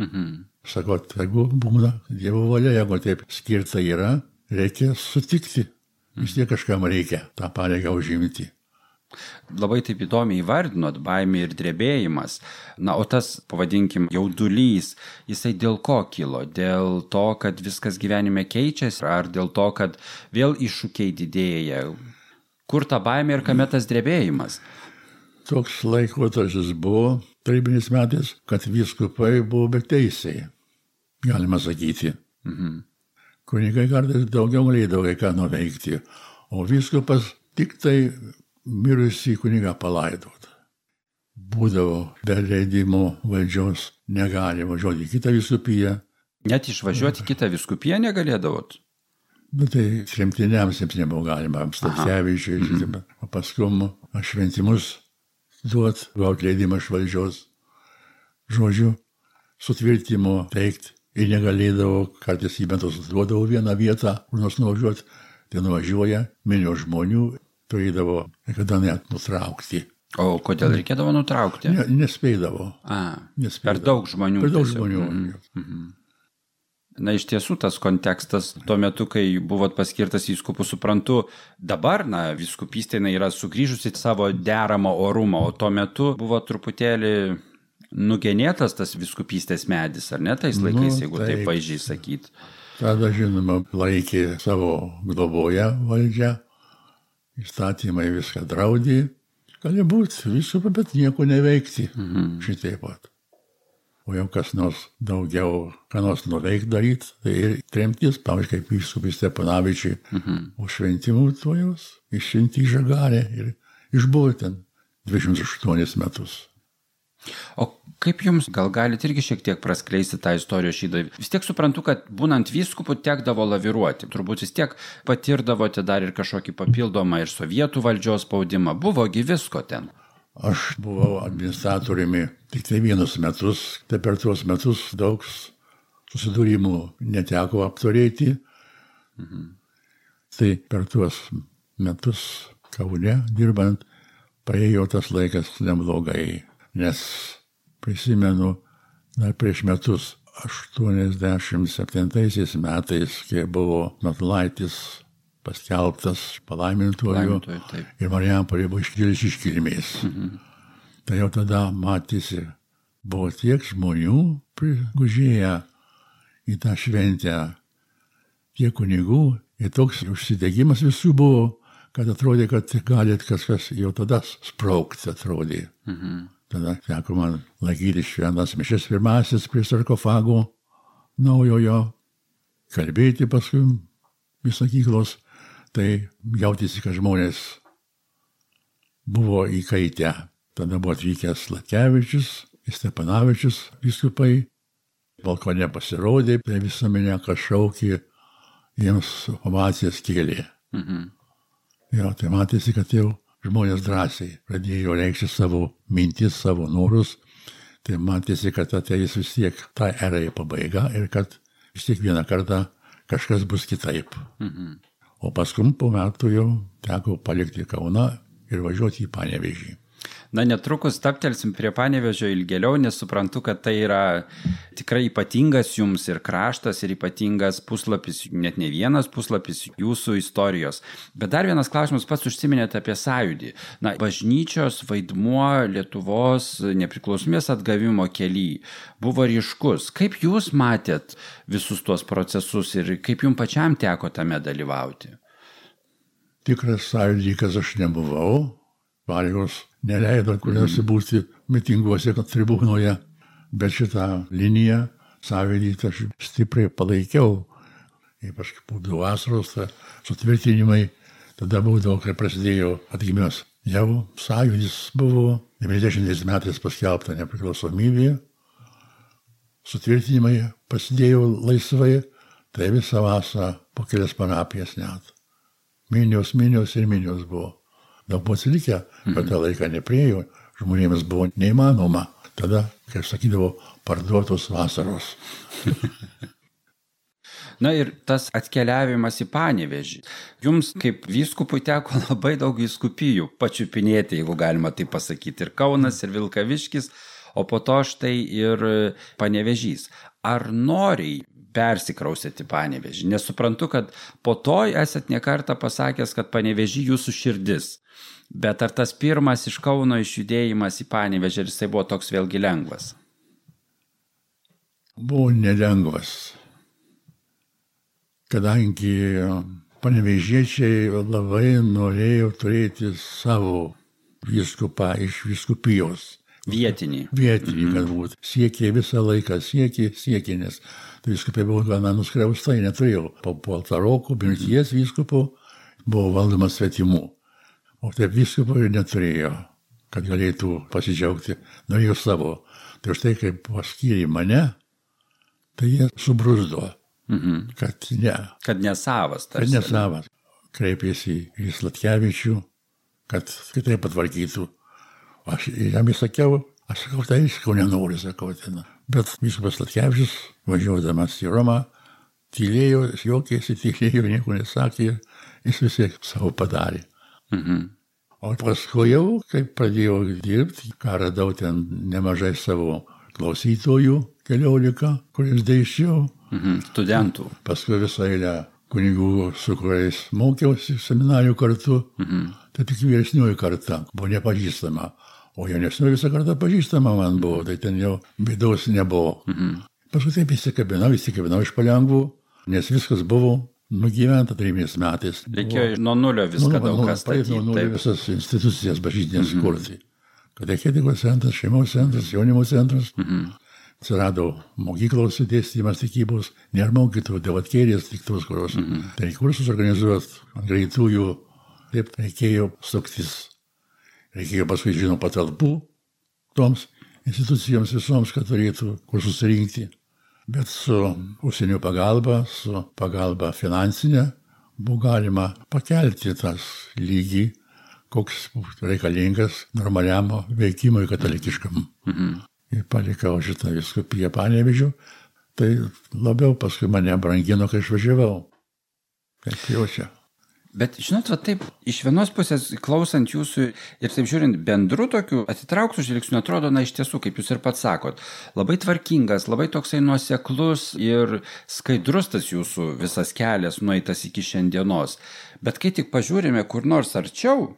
Mhm. Sakau, jeigu būna Dievo valia, jeigu taip skirta yra, reikia sutikti. Vis tiek kažkam reikia tą pareigą užimti. Labai taip įdomiai įvardinot, baimė ir drebėjimas. Na, o tas, pavadinkim, jaudulys, jisai dėl ko kilo? Dėl to, kad viskas gyvenime keičiasi, ar dėl to, kad vėl iššūkiai didėja? Kur ta baimė ir kame tas drebėjimas? Toks laikotarpis buvo tarybiniais metais, kad vyskupai buvo beteisiai, galima sakyti. Mhm. Kunigai kartais daugiau galėdavo kai ką nuveikti, o vyskupas tik tai mirusį kunigą palaidot. Būdavo be leidimo valdžios, negali važiuoti į kitą vyskupiją. Net išvažiuoti į kitą vyskupiją negalėdavot? Bet tai tremtiniams jiems nebuvo galima, Staskevičiui, mhm. o paskum šventimus duot, gauti leidimą iš valdžios. Žodžiu, sutvirtimo teikti. Ir negalėdavo, kartais į metus duodavo vieną vietą, kur nors nuvažiuoti, tai nuvažiuoja, minio žmonių, turėdavo kada net nutraukti. O kodėl reikėdavo nutraukti? Ne, nespėdavo. A, nespėdavo. Per daug žmonių. Per daug žmonių. Mhm. Na, iš tiesų, tas kontekstas, tuo metu, kai buvot paskirtas vyskupu, suprantu, dabar, na, vyskupystė yra sugrįžusi savo deramą orumą, o tuo metu buvo truputėlį nugenėtas tas vyskupystės medis, ar ne, tais laikais, nu, jeigu taip, taip vaizdžiai sakyt. Tada, žinoma, laikė savo globoje valdžią, įstatymai viską draudė, gali būti visko, bet nieko neveikti, mhm. šitaip pat. O jau kas nors daugiau, ką nors nuveikti daryti, tai ir tremtis, pavyzdžiui, kaip vyskupis Stepanavičiui, mhm. už šventimų tojos, iššventi į Žagarę ir išbuvo ten dvidešimt aštuonis metus. O kaip jums, gal galite irgi šiek tiek praskleisti tą istorijos šydą? Vis tiek suprantu, kad būnant vyskupu tekdavo laviruoti. Turbūt vis tiek patirdavote dar ir kažkokį papildomą ir sovietų valdžios spaudimą. Buvogi visko ten. Aš buvau administratoriumi tik tai vienus metus. Tai per tuos metus daug susidūrimų neteko apturėti. Mhm. Tai per tuos metus Kaune dirbant praėjo tas laikas neblogai. Nes prisimenu, dar prieš metus, aštuoniasdešimt septintaisiais metais, kai buvo Matulaitis paskelbtas palaimintuoju ir Marijampolė buvo iškilęs iškilmės. Mhm. Tai jau tada matėsi, buvo tiek žmonių prigužėję į tą šventę, tiek kunigų, ir toks užsidegimas visų buvo, kad atrodė, kad galėt kažkas jau tada spraukti, atrodė. Mhm. Tada teko man laikyti šventas mišias pirmasis prie sarkofago naujojo, kalbėti paskui į sakyklos, tai jautėsi, kad žmonės buvo įkaitę. Tada buvo atvykęs Latkevičius, Stepanavičius vyskupai, balkone pasirodė, tai visuomenė kažkaukį jiems ovacijas kėlė. Mhm. Jo, tai matėsi, kad jau žmonės drąsiai pradėjo reikšti savo mintis, savo norus. Tai matėsi, kad ateis vis tiek ta era į pabaigą ir kad vis tiek vieną kartą kažkas bus kitaip. Mhm. O paskui po metų jau teko palikti Kauną ir važiuoti į Panevėžį. Na, netrukus staptelsim prie Panevėžio ilgėliau, nes suprantu, kad tai yra tikrai ypatingas jums ir kraštas, ir ypatingas puslapis, net ne vienas puslapis jūsų istorijos. Bet dar vienas klausimas, pats užsiminėte apie sąjūdį. Na, bažnyčios vaidmuo Lietuvos nepriklausomybės atgavimo kely buvo ryškus. Kaip jūs matėt visus tuos procesus ir kaip jums pačiam teko tame dalyvauti? Tikras sąjūdikas aš nebuvau. Pareigos neleido kuriuose būti mitinguose tribūnoje, bet šitą liniją sąjūdį aš stipriai palaikiau. Ypač būdavo vasaros, sutvirtinimai, tada būdavo, kai prasidėjo atgimimas. Jau sąjūdis buvo devyniasdešimtais metais paskelbta nepriklausomybė, sutvirtinimai prasidėjo laisvai, tai visą vasarą po kelias parapijas net. Minios, minios ir minios buvo. Daug buvo atsilikę, bet tą laiką nepriejo, žmonėms buvo neįmanoma. Tada, kaip sakydavo, parduotos vasaros. Na ir tas atkeliavimas į Panevėžį. Jums kaip vyskupui teko labai daug vyskupijų pačiupinėti, jeigu galima tai pasakyti. Ir Kaunas, ir Vilkaviškis, o po to štai ir Panevėžys. Ar noriai persikraustėte į Panevėžį? Nesuprantu, kad po to esat ne kartą pasakęs, kad Panevėžį jūsų širdis. Bet ar tas pirmas iš Kauno išjudėjimas į Panevėžį, jisai buvo toks vėlgi lengvas? Buvo nelengvas. Kadangi panevėžiečiai labai norėjo turėti savo vyskupą iš vyskupijos. Vietinį. Vietinį, mm-hmm. kad būtų. Siekė visą laiką, siekė, siekė, nes tai vyskupai buvo gana nuskriaustai, neturėjo. Po Paltaroko, mirties vyskupo buvo valdomas svetimų. O taip vyskupo ir neturėjo, kad galėtų pasidžiaugti, norėjo savo. Tai už tai, kaip paskyrė mane, tai jie subruzdo, mhm. kad ne. Kad nesavas. Tarsi. Kad nesavas. Kreipėsi į Slatkevičių, kad kitaip patvarkytų. Aš jam įsakiau, aš sakau, tai iškau nenoriu, sakau. Ten. Bet vyskupas Slatkevičius, važiuodamas į Romą, tylėjo, juokėsi, tylėjo, nieko nesakė, jis vis tiek savo padarė. Mhm. O paskui jau, kai pradėjau dirbti, ką radau ten nemažai savo klausytojų, keliolika, kuris dėsčiau. Mhm. Studentų. Paskui visą eilę kunigų, su kuriais mokiausi seminarijų kartu, mhm. tai tik vyresnioji karta buvo nepažįstama. O jaunesnioji visą kartą pažįstama man buvo, tai ten jau bėdos nebuvo. Mhm. Paskui taip įsikabinau, įsikabinau iš palengvų, nes viskas buvo nugyventa trimės metais. Reikėjo nuo nulio viską nu, daug kas statyti. Nuo nulio visas institucijas bažnytinės mm-hmm. kurti. Katechetikos centras, šeimos centras, jaunimo centras. Mm-hmm. Atsirado mokyklos dėstymas tikybos, nėra mokytojų, devatkėlės tik tos, kurios. Mm-hmm. Tai kursus organizuot ant greitųjų, taip reikėjo suktis. Reikėjo paskui, žinau, patalpų toms institucijoms visoms, kad turėtų kur susirinkti. Bet su užsienio pagalba, su pagalba finansinė, buvo galima pakelti tas lygį, koks reikalingas normaliam veikimui katalikiškam. Mhm. Ir palikau šitą vyskupiją Panevėžiu, tai labiau paskui mane brangino, kai išvažiavau. Kaip jau čia. Bet, žinot, va taip, iš vienos pusės klausant jūsų ir taip žiūrint bendru tokiu atitrauktų žvilgsniu, atrodo, na iš tiesų, kaip jūs ir pats sakot, labai tvarkingas, labai toksai nuoseklus ir skaidrus tas jūsų visas kelias nueitas iki šiandienos. Bet kai tik pažiūrime kur nors arčiau,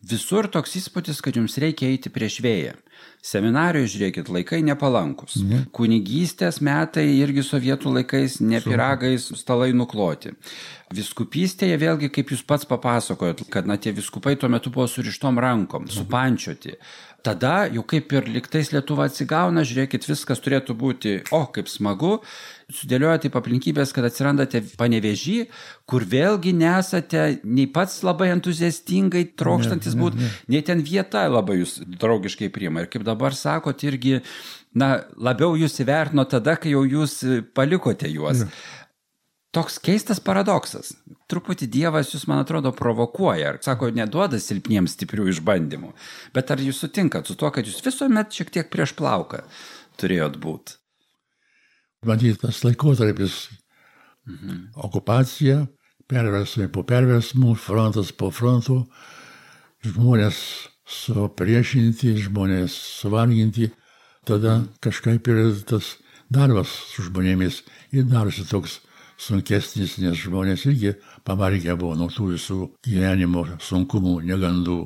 visur toks įspūdis, kad jums reikia eiti prieš vėją. Seminarijoje, žiūrėkit, laikai nepalankus. Ne. Kunigystės metai irgi sovietų laikais ne piragais stalai nukloti. Viskupystėje vėlgi, kaip jūs pats papasakojot, kad na, tie viskupai tuo metu buvo surištom rankom, supančioti. Tada jau kaip ir liktais Lietuva atsigauna, žiūrėkit, viskas turėtų būti, o kaip smagu, sudėlioja taip aplinkybės, kad atsirandate Panevėžy, kur vėlgi nesate nei pats labai entuziastingai trokštantis būti, nei ten vieta labai jūs draugiškai priima. Ir kaip dabar sakot, irgi, na, labiau jūs įvertino tada, kai jau jūs palikote juos. Ne. toks keistas paradoksas. Truputį Dievas jūs, man atrodo, provokuoja. Ar, sako, neduoda silpniems stiprių išbandymų. Bet ar jūs sutinkat su tuo, kad jūs visuomet šiek tiek prieš plauką turėjot būti? Matyt, tas laikotarpis, mhm. okupacija, perversmai po perversmų, frontas po frontų, žmonės supriešinti, žmonės suvarginti, tada kažkaip ir tas darbas su žmonėmis ir darosi toks sunkesnis, nes žmonės irgi pavargę buvo nuo tų visų gyvenimo sunkumų, negandų.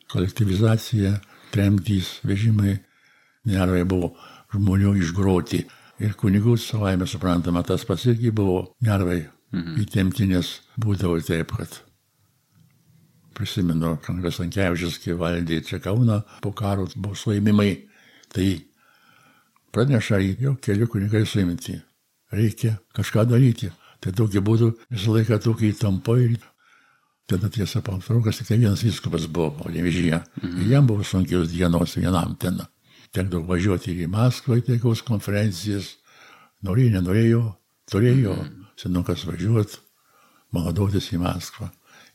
Kolektyvizacija, tremtys, vežimai, nervai buvo žmonių išgroti. Ir kunigų savaime suprantama, tas pats irgi buvo nervai mhm. įtempti, nes būdavo taip, kad prisimenu, Kunigas Stankevičius, kai valdė čia Kauną, po karo buvo suėmimai, tai praneša, jau keli kunigai suimti. Reikia kažką daryti. Tai tokiu būdu visą laiką tokia įtampa ir tada tiesa patraukas, tik vienas vyskupas buvo, o Panevėžyje. Mhm. Ir jam buvo sunkios dienos vienam ten. Tekdavo važiuoti ir į Maskvą, į taikaus konferencijas. Norėjo, nenorėjo, turėjo mhm. senukas važiuoti, maladotis į Maskvą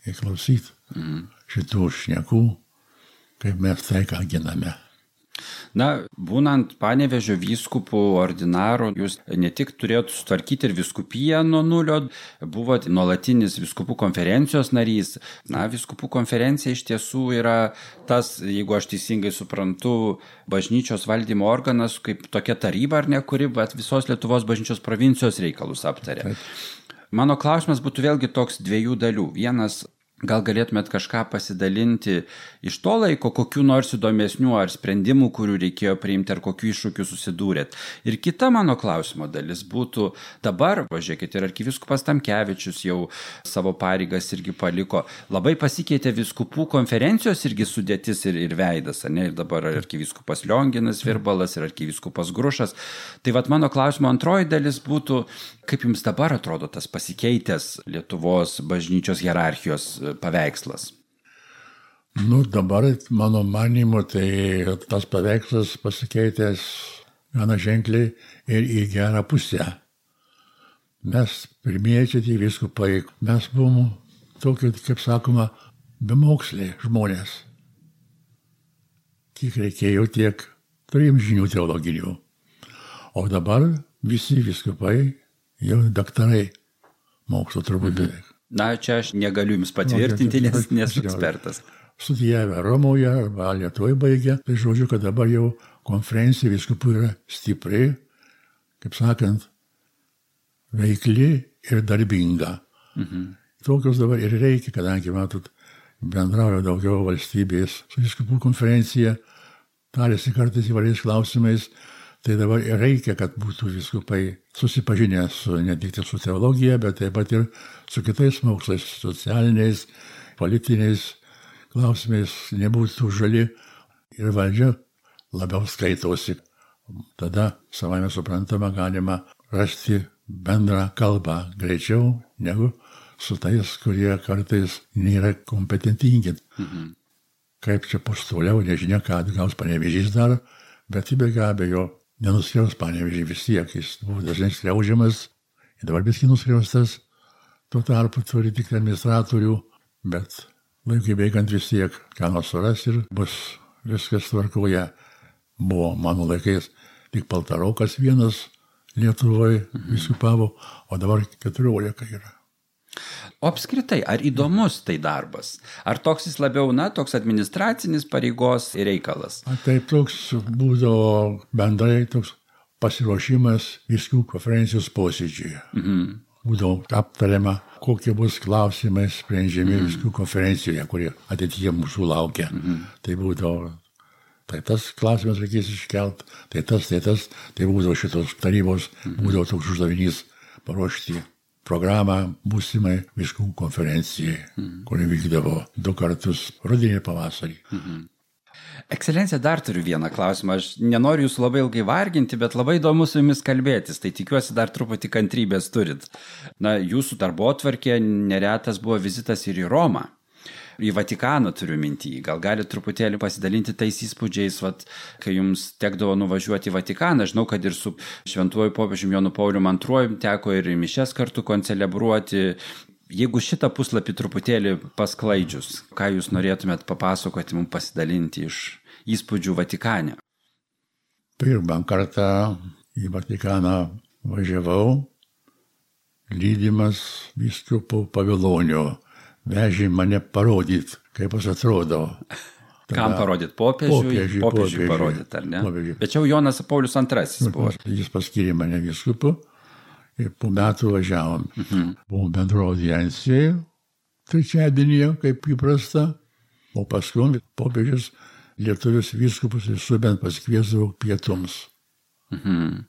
ir klausyti mhm. šitų šnekų, kaip mes taiką giname. Na, būnant Panevėžio vyskupų ordinaru, jūs ne tik turėjote sutvarkyti ir vyskupiją nuo nulio, buvote nuolatinis vyskupų konferencijos narys. Na, vyskupų konferencija iš tiesų yra tas, jeigu aš teisingai suprantu, bažnyčios valdymo organas, kaip tokia taryba ar ne, kuri bet visos Lietuvos bažnyčios provincijos reikalus aptarė. Mano klausimas būtų vėlgi toks dviejų dalių. Vienas, gal galėtumėt kažką pasidalinti iš to laiko, kokių nors įdomesnių ar sprendimų, kurių reikėjo priimti, ar kokių iššūkių susidūrėt. Ir kita mano klausimo dalis būtų, dabar, važiuokit, ir arkivyskupas Tamkevičius jau savo pareigas irgi paliko, labai pasikeitė vyskupų konferencijos irgi sudėtis ir, ir veidas, ne? Ir dabar arkivyskupas Lionginas Virbalas ir arkivyskupas Grušas. Tai vat mano klausimo antroji dalis būtų, kaip jums dabar atrodo tas pasikeitęs Lietuvos bažnyčios hierarchijos paveikslas? Nu, dabar, mano manimu, tai tas paveikslas pasikeitęs gana ženkliai ir į gerą pusę. Mes pirmieji čia tie vyskupai, mes buvom tokie, kaip sakoma, bemoksliai žmonės. Kiek reikėjo, tiek turėjom žinių teologinių. O dabar visi vyskupai jau daktarai mokslo turbūt beveik. Na, čia aš negaliu jums patvirtinti, nes nesu ekspertas. Studijavę Romoje arba Lietuvoje baigę, tai žodžiu, kad dabar jau konferencija vyskupų yra stipri, kaip sakant, veikli ir darbinga. Mhm. Tokios dabar ir reikia, kadangi, matot, bendrauja daugiau valstybės su vyskupų konferencija, tarėsi kartais įvairiais klausimais. Tai dabar reikia, kad būtų vyskupai susipažinę su, ne tik su teologija, bet taip pat ir su kitais mokslais, socialiniais, politiniais klausimais, nebūtų žali ir valdžia labiau skaitosi. Tada, savame suprantama, galima rasti bendrą kalbą greičiau negu su tais, kurie kartais nėra kompetentingi. Mhm. Kaip čia postoliau, nežinia, ką gaus Panevėžys dar, bet be abejo, nenuskriaus Panevėžį vis tiek, jis buvo dažnai skriaudžiamas, ir dabar biski nuskriaustas, tuo tarpu turi tik administratorių, bet laikui bėgant vis tiek, ką nors suras ir bus viskas tvarkoje. Buvo mano laikais tik Paltarokas vienas Lietuvoje vyskupavo, o dabar keturiolika yra. O apskritai, ar įdomus tai darbas? Ar toks jis labiau, na, toks administracinis pareigos reikalas? A, taip, toks būdavo bendrai toks pasiruošimas vyskupų konferencijos posėdžiui. Mhm. Būdavo aptariama, kokie bus klausimai sprendžiami mhm. vyskupų konferencijoje, kurie ateityje mūsų laukia. Mhm. Tai būdavo, tai tas klausimas reikės iškelt, tai tas, tai tas, tai būdavo šitos tarybos, mhm. būdavo toks uždavinys paruošti programą būsimai vyskupų konferencijai, mm. kuri vykdavo du kartus rudenį ir pavasarį. Mm-hmm. Ekscelencija, dar turiu vieną klausimą. Aš nenoriu jūsų labai ilgai varginti, bet labai įdomu su jumis kalbėtis, tai tikiuosi dar truputį kantrybės turit. Na, jūsų darbotvarkė neretas buvo vizitas ir į Romą. į Vatikaną turiu mintį. Gal gali truputėlį pasidalinti tais įspūdžiais, vat, kai jums tekdavo nuvažiuoti į Vatikaną. Žinau, kad ir su šventuoju popiežiumi Jonu Pauliumi antruoju teko ir mišias kartu koncelebruoti. Jeigu šitą puslapį truputėlį pasklaidžius, ką jūs norėtumėt papasakoti, mums pasidalinti iš įspūdžių Vatikane? Pirmą kartą į Vatikaną važiavau, lydimas vyskupo Pavilonio. Vežė mane parodyt, kaip jis atrodo. Tada kam parodyt? Popiežiui? Popiežiui, popiežiui parodyt, ar ne? Popiežiui. Bet čia jau Jonas Paulius antrasis buvo. Jis paskyrė mane vyskupu ir po metų važiavom. Mhm. Buvo bendro audiencija, trečiadienyje, kaip įprasta, o paskui popiežius lietuvius vyskupus ir subent paskviesdavo pietums. Mhm.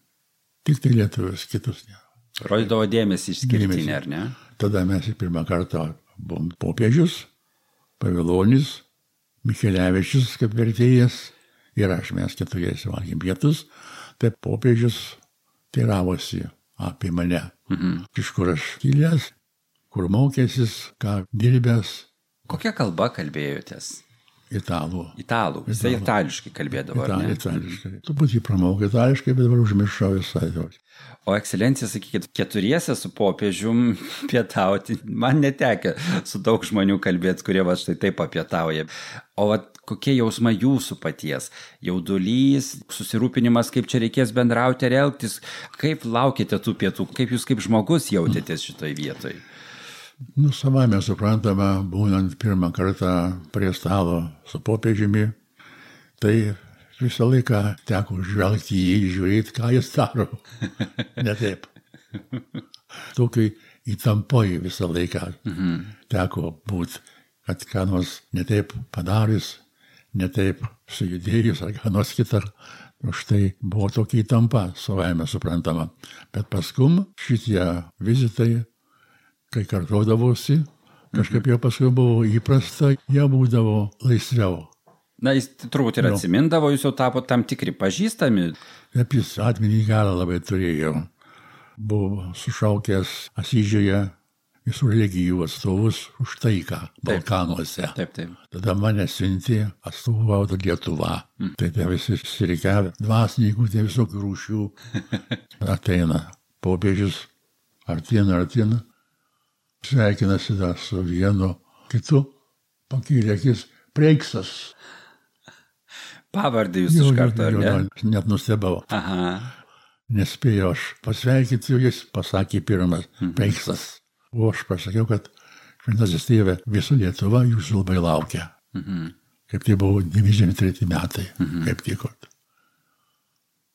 Tik tai lietuvius, kitus ne. Rodydavo dėmesį išskirtinį, ar ne? Tada mes į pirmą kartą buvom popiežius, Pavilonis, Michelevičius kaip vertėjas ir aš, mes keturiesi valgėm pietus, tai popiežius teiravosi apie mane. Mhm. Iš kur aš kilęs, kur mokėsis, ką dirbęs. Kokia kalba kalbėjotės? Italų. Italų. Jisai itališkai kalbėdavo, Ital, ar ne? Itališkai. Truputį pramokė itališkai, bet dabar užmiršau visai. O ekscelencija, sakykit, keturiese su popiežium pietauti, man netekia su daug žmonių kalbėti, kurie va štai taip apietauja. O va kokie jausmai jūsų paties? Jaudulys, susirūpinimas, kaip čia reikės bendrauti ir elgtis? Kaip laukite tų pietų? Kaip jūs kaip žmogus jautėtės šitoj vietoj? Nu, savame suprantama, būnant pirmą kartą prie stalo su popiežiumi, tai visą laiką teko žvelgti į jį, žiūrėti, ką jis daro. Ne taip. Tokiai įtampoj visą laiką mhm. teko būti, kad ką nors ne taip padarys, ne taip sujudėjus ar ką nors kitą. Už tai buvo tokia įtampa, savame suprantama. Bet paskum šitie vizitai, kai kartuodavosi, kažkaip jau paskui buvo įprasta, jie būdavo laisviau. Na, jis turbūt ir atsimindavo, jūs jau tapo tam tikri pažįstami. Taip, jis atminį galą labai turėjo. Buvo sušaukęs Asyžiuje visų religijų atstovus už taiką Balkanuose. Taip, taip. Tada mane siuntė atstovauti Lietuvą. Mm. Tai tai visi susirikiavę dvasininkų, tai visokių rūšių. Ateina popiežius, artina, artina. Sveikinasi dar su vienu kitu, pakėlė akis, Preiksas. Pavardį jūs iš karto, ar ne? Net nustebau. Aha. Nespėjau aš pasveikinti, jis pasakė pirmas, mhm. Preiksas. O aš pasakiau, kad šventasis tėve, visų Lietuva jūsų labai laukia. Mhm. Kaip tai buvo devyniasdešimt treti metai, mhm. kaip tiko.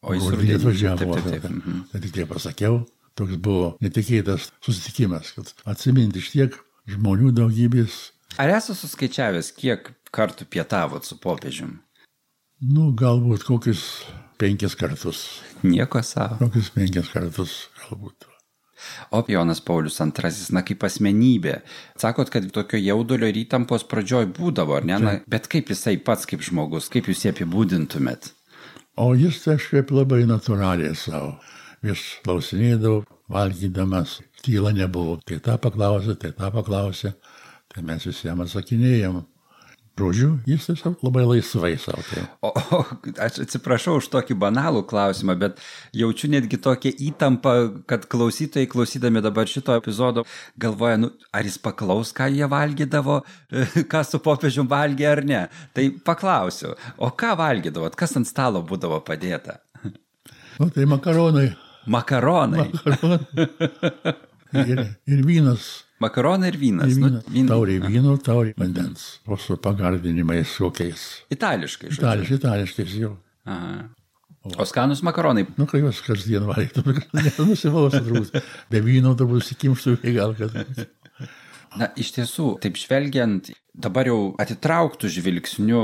O jis rudenį atvažiavo. Taip, taip, taip. Mhm. Tai tik tai pasakiau. Toks buvo netikėtas susitikimas, kad atsiminti iš tiek žmonių daugybės. Ar esate suskaičiavęs, kiek kartų pietavot su popiežium? Nu, galbūt kokius penkis kartus. Nieko savo. Kokius penkis kartus galbūt. O Jonas Paulius antrasis, na kaip asmenybė. Sakot, kad tokio jaudulio ir įtampos pradžioj būdavo, ar ne? Na, bet kaip jisai pats kaip žmogus, kaip jūs jį apibūdintumėt? O jis kažkaip labai natūraliai savo. Vis klausinėdavau, valgydamas, tyla nebuvo. Tai tą paklausė, tai tą paklausė, tai mes visiems atsakinėjom. Žodžiu, jis tiesiog labai laisvai savo. Tai. O, o aš atsiprašau už tokį banalų klausimą, bet jaučiu netgi tokią įtampą, kad klausytojai, klausydami dabar šito epizodo, galvoja, nu, ar jis paklaus, ką jie valgydavo, ką su popiežium valgė ar ne. Tai paklausiu, o ką valgydavot, kas ant stalo būdavo padėta? Nu, tai makaronai. Makaronai. Makaronai. Ir, ir vynas. Makaronai ir vynas. Ir vynas. Nu, vyn... Tauriai vyno, tauriai vandens. O su pagardinimais kokiais. Itališkai. Itališkai, itališkais jau. Aha. O, o skanus makaronai. Nu, kai juos kasdien valgytum, nusivausi turbūt. Be vyno turbūt sikimštų į gal, kad... Na, iš tiesų, taip žvelgiant, dabar jau atitrauktų žvilgsniu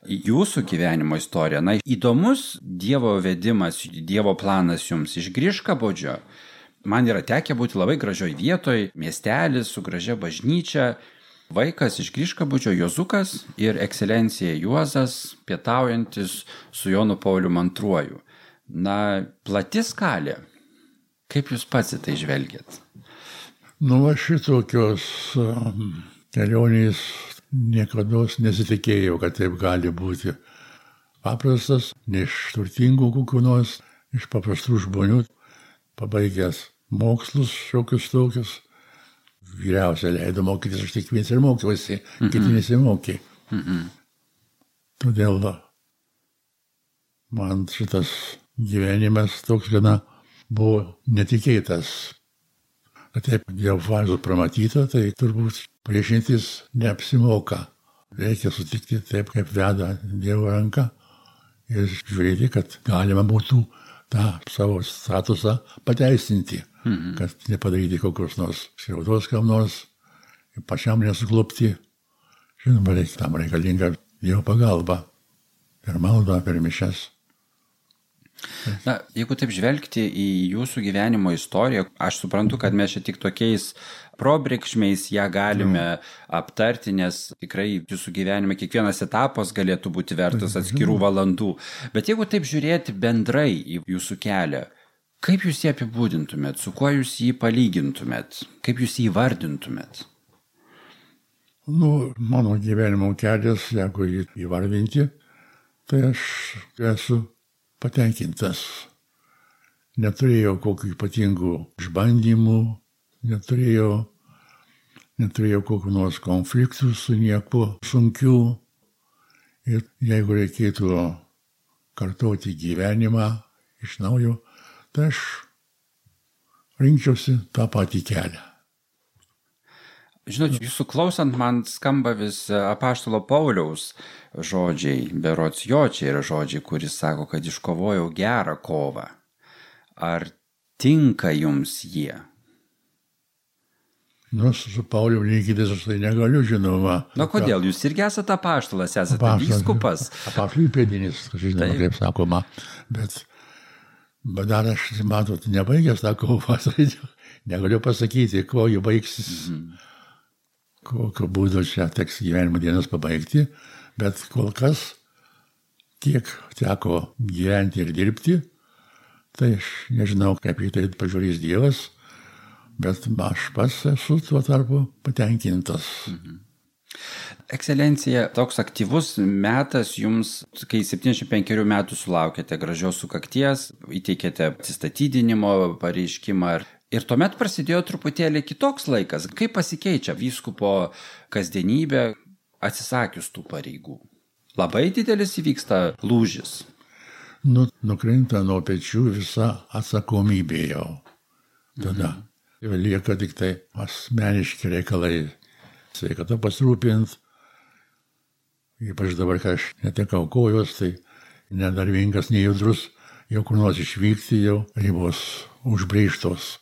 jūsų gyvenimo istoriją. Na, įdomus Dievo vedimas, Dievo planas jums iš Griškabodžio. Man yra tekę būti labai gražioj vietoj, miestelis su gražia bažnyčia. Vaikas iš Griškabodžio Jozukas ir ekscelencija Juozas pietaujantis su Jonu Pauliumi antruoju. Na, plati skalė. Kaip jūs pats į tai žvelgiat? Nu, va šitokios um, kelionės niekada nesitikėjau, kad taip gali būti. Paprastas, ne iš turtingų kokių nors, iš paprastų žmonių, pabaigęs mokslus šiokius tokius. Vyriausia leido mokytis, aš tik vienas ir mokiausi, mm-hmm. kiti nesimokė. Mm-hmm. Todėl man šitas gyvenimas toks gana buvo netikėtas. Kad taip jau fazų pramatyta, tai turbūt priešintis neapsimoka. Reikia sutikti taip, kaip veda Dievo ranka ir žiūrėti, kad galima būtų tą savo statusą pateisinti, mm-hmm. kad nepadaryti kokios nors skriaudos kam nors, pačiam nesuklupti. Žinoma, reikia, tam reikalinga Dievo pagalba per maldą, per mišias. Na, jeigu taip žvelgti į jūsų gyvenimo istoriją, aš suprantu, kad mes čia tik tokiais probėgšmiais ją galime aptarti, nes tikrai jūsų gyvenime kiekvienas etapas galėtų būti vertas atskirų valandų. Bet jeigu taip žiūrėti bendrai į jūsų kelią, kaip jūs jį apibūdintumėt, su kuo jūs jį palygintumėt, kaip jūs jį vardintumėt? Nu, mano gyvenimo kelias, jeigu jį įvardinti, tai aš esu patenkintas. Neturėjau kokių ypatingų išbandymų, neturėjau, neturėjau kokių nors konfliktų su niekuo sunkių. Ir jeigu reikėtų kartoti gyvenimą iš naujo, tai aš rinkčiausi tą patį kelią. Žinot, jūsų klausant, man skamba vis apaštalo Pauliaus žodžiai, berods jo čia yra žodžiai, kuris sako, kad iškovojau gerą kovą. Ar tinka jums jie? Nu, su Pauliu lygytis aš tai negaliu, žinoma. Na, kodėl? Jūs irgi esate apaštalas, esate Apaštalas, vyskupas. Apaštalų įpėdinis, žinoma, kaip sakoma. Bet, bet dar aš, matot, nebaigęs tą kovą, negaliu pasakyti, ko jų baigsis. Mm-hmm. Kokio būdo čia teks gyvenimo dienas pabaigti, bet kol kas, kiek teko gyventi ir dirbti, tai aš nežinau, kaip į tai pažiūrės Dievas, bet aš pats esu tuo tarpu patenkintas. Mhm. Ekscelencija, toks aktyvus metas jums, kai septyniasdešimt penkerių metų sulaukėte gražios sukakties, įteikėte atsistatydinimo pareiškimą. Ir tuomet prasidėjo truputėlį kitoks laikas. Kaip pasikeičia vyskupo kasdienybė atsisakius tų pareigų? Labai didelis įvyksta lūžis. Nu, nukrinta nuo pečių visa atsakomybė jau. Tada mhm. lieka tik tai asmeniški reikalai. Sveikata pasirūpint. Ypač dabar, kai aš netekau kojos, tai nedarbingas, nejudrus, jau kur nors išvykti, jau ribos užbrėžtos.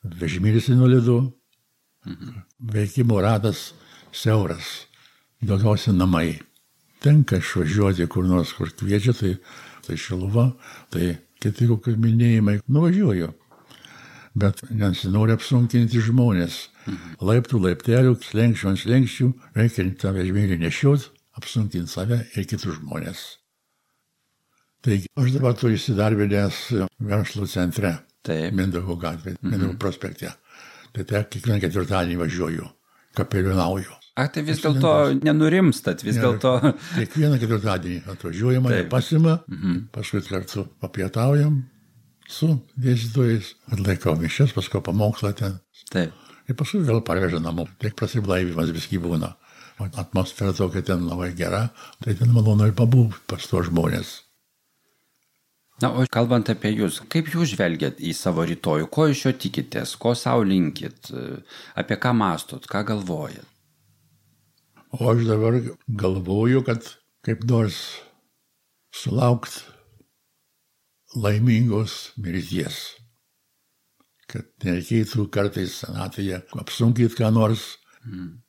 Vežimėlis invalidu, mhm. veikimo ratas siauras, daugiausia namai. Tenka išvažiuoti kur nors, kur kviečia, tai, tai Šiluva, tai kiti kokie minėjimai, nuvažiuoju. Bet nesinori apsunkinti žmonės. Mhm. Laiptų, laiptelių, slenkščių ant slenkščių, reikia tą vežimėlį nešiot, apsunkinti save ir kitus žmonės. Taigi, aš dabar turiu įsidarbinęs verslo centre. Taip. Mindaugo gatvė, Mindaugo mm-hmm. prospekte. Tai te kiekvieną ketvirtadienį važiuoju, kapelionauju. A, tai vis dėlto nenurimstat, vis dėlto. Kiekvieną ketvirtadienį atvažiuoju, mane pasima, mm-hmm. paskui kartu papietaujam su dėstytojais, atlaikau mišias, paskui pamokslą ten. Taip. Ir paskui vėl parveža namo, tik prasiblaivimas viski būna. Atmosfera tokia ten labai gera, tai ten malonu ir pabūti pas tuos žmonės. Na, o kalbant apie jūs, kaip jūs žvelgiat į savo rytojų, ko iš jo tikitės, ko savo linkit, apie ką mąstot, ką galvojat? O aš dabar galvoju, kad kaip nors sulaukt laimingos mirties. Kad nereikėtų kartais senatvėje apsunkyti ką nors. Mm.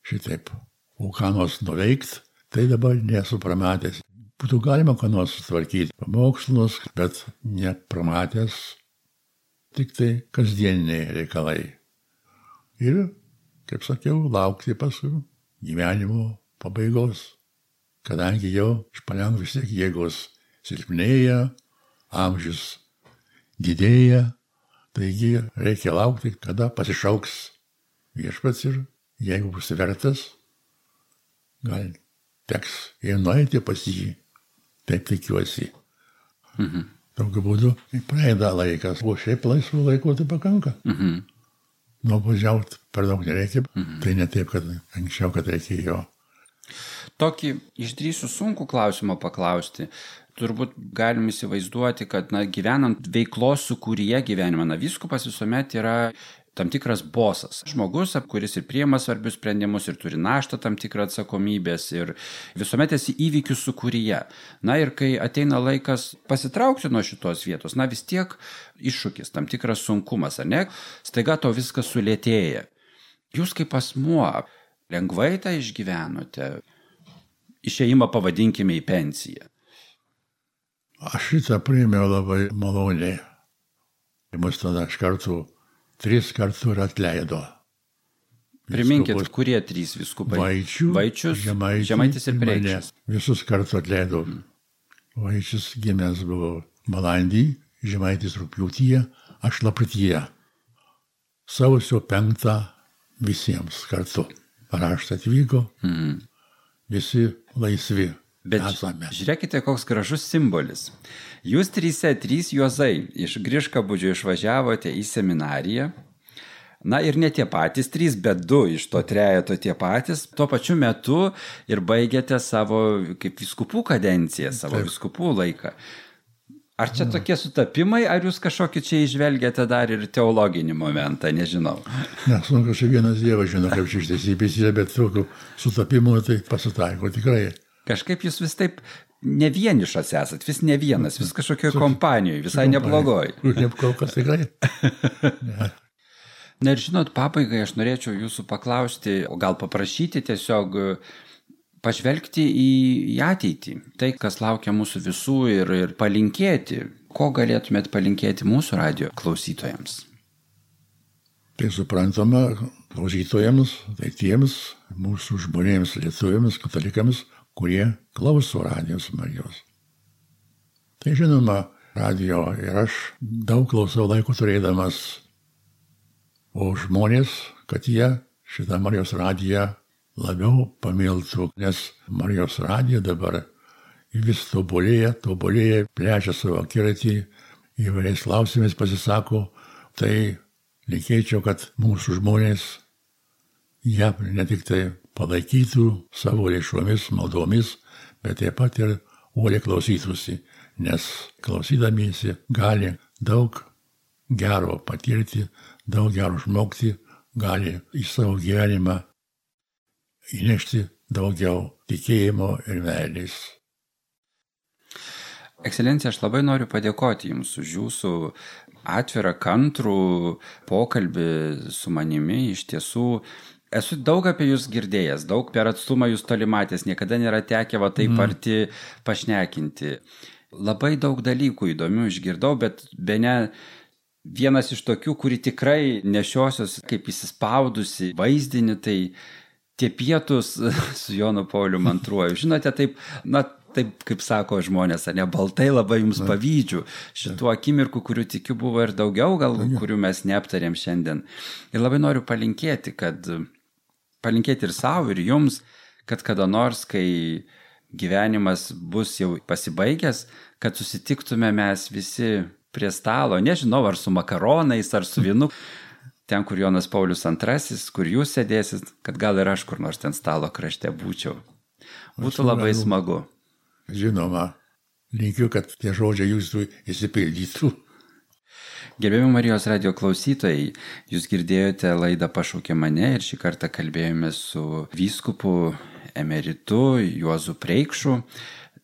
Šitaip. O ką nors nuveikt, tai dabar nesu pramatęs. Būtų galima ką nors sutvarkyti pamokslus, bet nepramatęs, tik tai kasdieniniai reikalai. Ir, kaip sakiau, laukti paskui gyvenimo pabaigos, kadangi jau iš palengva vis tiek jėgos silpnėja, amžius didėja, taigi reikia laukti, kada pasišauks viešpats ir jeigu bus vertas, gal teks ir nueiti pas jį. Taip tikiuosi. Mhm. Tokiu būdu praeida laikas, o šiaip laisvų laiko tai pakanka. Mhm. Nuvažiauti per daug nereikia, Mhm. tai ne taip, kad anksčiau, kad reikėjo. Tokį išdrįsiu sunkų klausimą paklausti. Turbūt galim įsivaizduoti, kad na, gyvenant veiklos sukūryje gyvenimą, na, vyskupas visuomet yra tam tikras bosas. Žmogus, kuris ir priima svarbius sprendimus, ir turi naštą tam tikrą atsakomybės, ir visuomet esi įvykių sukūryje. Na ir kai ateina laikas pasitraukti nuo šitos vietos, na vis tiek iššūkis, tam tikras sunkumas, ar ne? Staiga to viskas sulėtėja. Jūs kaip asmuo lengvai tą išgyvenote, išėjimą pavadinkime į pensiją. Aš šitą priėmiau labai maloniai. Mus tada iš kartų tris kartų ir atleido. Priminkit, Vyskupas kurie trys vyskupai? Vaičių, Vaičius, Žemaitis, Žemaitis ir mane. Preikšas. Visus kartu atleido. Mm. Vaičius gimęs buvo balandį, Žemaitis rugpjūtyje, aš lapkrityje. Sausio penktą visiems kartu. Raštą atvyko, Mm. visi laisvi. Bet esame. žiūrėkite, koks gražus simbolis. Jūs tryse, trys juozai iš Griškabūdžio išvažiavote į seminariją. Na ir ne tie patys trys, bet du iš to trejeto tie patys. Tuo pačiu metu ir baigėte savo kaip vyskupų kadenciją, savo Taip. vyskupų laiką. Ar čia tokie sutapimai, ar jūs kažkokį čia išvelgiate dar ir teologinį momentą, nežinau. Nes, nu, kažkaip vienas Dievas žino, kaip čia ištiesybės yra, bet tokių sutapimų tai pasitaiko tikrai. Kažkaip jūs vis taip ne vienišas esat, vis ne vienas, vis kažkokioje kompanijoje, visai neblogoj. Ne kol kas tikrai. Ne. Na ir žinot, pabaigai aš norėčiau jūsų paklausti, o gal paprašyti tiesiog pažvelgti į, į ateitį. Tai, kas laukia mūsų visų ir, ir palinkėti. Ko galėtumėt palinkėti mūsų radio klausytojams? Tai suprantama, klausytojams, tai tiems mūsų žmonėms, lietuviams, katalikams, kurie klauso radijos Marijos. Tai žinoma, radio ir aš daug klausau laiko turėdamas, o žmonės, kad jie šitą Marijos radiją labiau pamiltų, nes Marijos radija dabar vis tobulėja, tobulėja, plečia savo akiratį, įvairiais klausimais pasisako, tai linkėčiau, kad mūsų žmonės ją ne tik tai palaikytų savo lėšomis, maldomis, bet taip pat ir uoliai klausytųsi, nes klausydamiesi gali daug gero patirti, daug gero išmokti, gali į savo gyvenimą įnešti daugiau tikėjimo ir meilės. Ekscelencija, aš labai noriu padėkoti Jums už Jūsų atvirą, kantrų pokalbį su manimi. Iš tiesų, esu daug apie Jūs girdėjęs, daug per atstumą Jūs toli matęs, niekada nėra tekę va taip arti pašnekinti. Labai daug dalykų įdomių išgirdau, bet bene vienas iš tokių, kuri tikrai nešiosios kaip įsispaudusi vaizdinį, tai tie pietus su Jonu Pauliumi antruoju. Žinote, taip, na, taip, kaip sako žmonės, ne, baltai labai Jums pavydžiu. Šitų akimirkų, kurių tikiu buvo ir daugiau, gal, kurių mes neaptarėm šiandien. Ir labai noriu palinkėti, kad palinkėti ir savo, ir Jums, kad kada nors, kai gyvenimas bus jau pasibaigęs, kad susitiktume mes visi prie stalo, nežinau, ar su makaronais, ar su vynu, ten, kur Jonas Paulius antrasis, kur Jūs sėdėsit, kad gal ir aš kur nors ten stalo krašte būčiau. Būtų labai smagu. Žinoma, linkiu, kad tie žodžiai Jūsų įsipildytų. Gerbiami Marijos radio klausytojai, Jūs girdėjote laidą Pašaukė mane ir šį kartą kalbėjome su vyskupu emeritu Juozu Preikšu.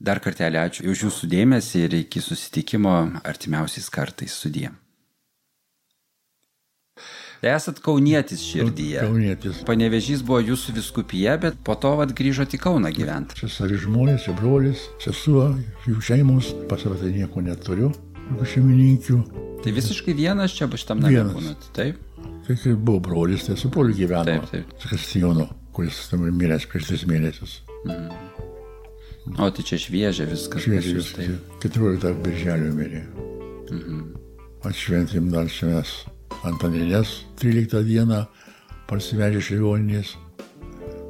Dar kartelį ačiū už Jūsų dėmesį ir iki susitikimo artimiausiais kartais. Sudie. Esat kaunietis širdyje. Kaunietis. Panevėžys buvo Jūsų vyskupija, bet po to vat grįžote į Kauną gyventi. Čia savi žmonės, čia brolis, sesuo, jų šeimos, pas save tai nieko neturiu, jokių šeimininkių. Tai visiškai vienas čia šitam name būnat, taip? Tai kai buvo brolis, tai su broliu gyveno. Taip, taip. Su Kristijonu, kuris tam miręs prieš tris mėnesius. Mhm. O tai čia šviežia viskas. Šviežia viskas. keturioliktą birželio mirė. Mhm. Atšventėm dar čia mes Antaninės tryliktą dieną, parsivežė iš ligoninės.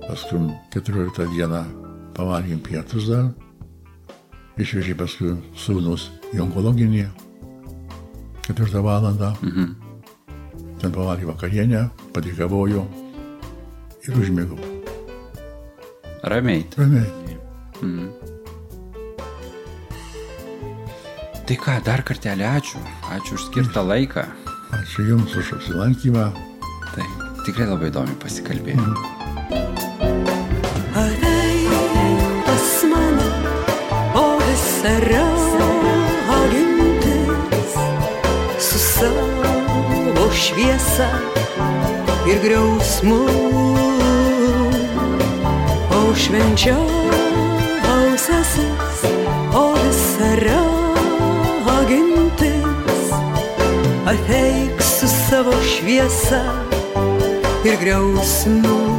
Paskui keturioliktą dieną pavalgėm pietus dar. Išvežė paskui sūnus į onkologinį. Ketvirtą valandą. Mhm. Ten pavalgė vakarienę, padėkavojo ir užmigau. Ramiai. Ramiai. Mhm. Tai ką, dar kartelį ačiū. Ačiū už skirtą laiką. Ačiū Jums už apsilankymą. Tai tikrai labai įdomi pasikalbėjome. Mhm. Ateik pas mane, o visa ragintis su savo šviesa ir griausmu, o švenčiausiasis, o visa ragintis, ateik su savo šviesa ir griausmu.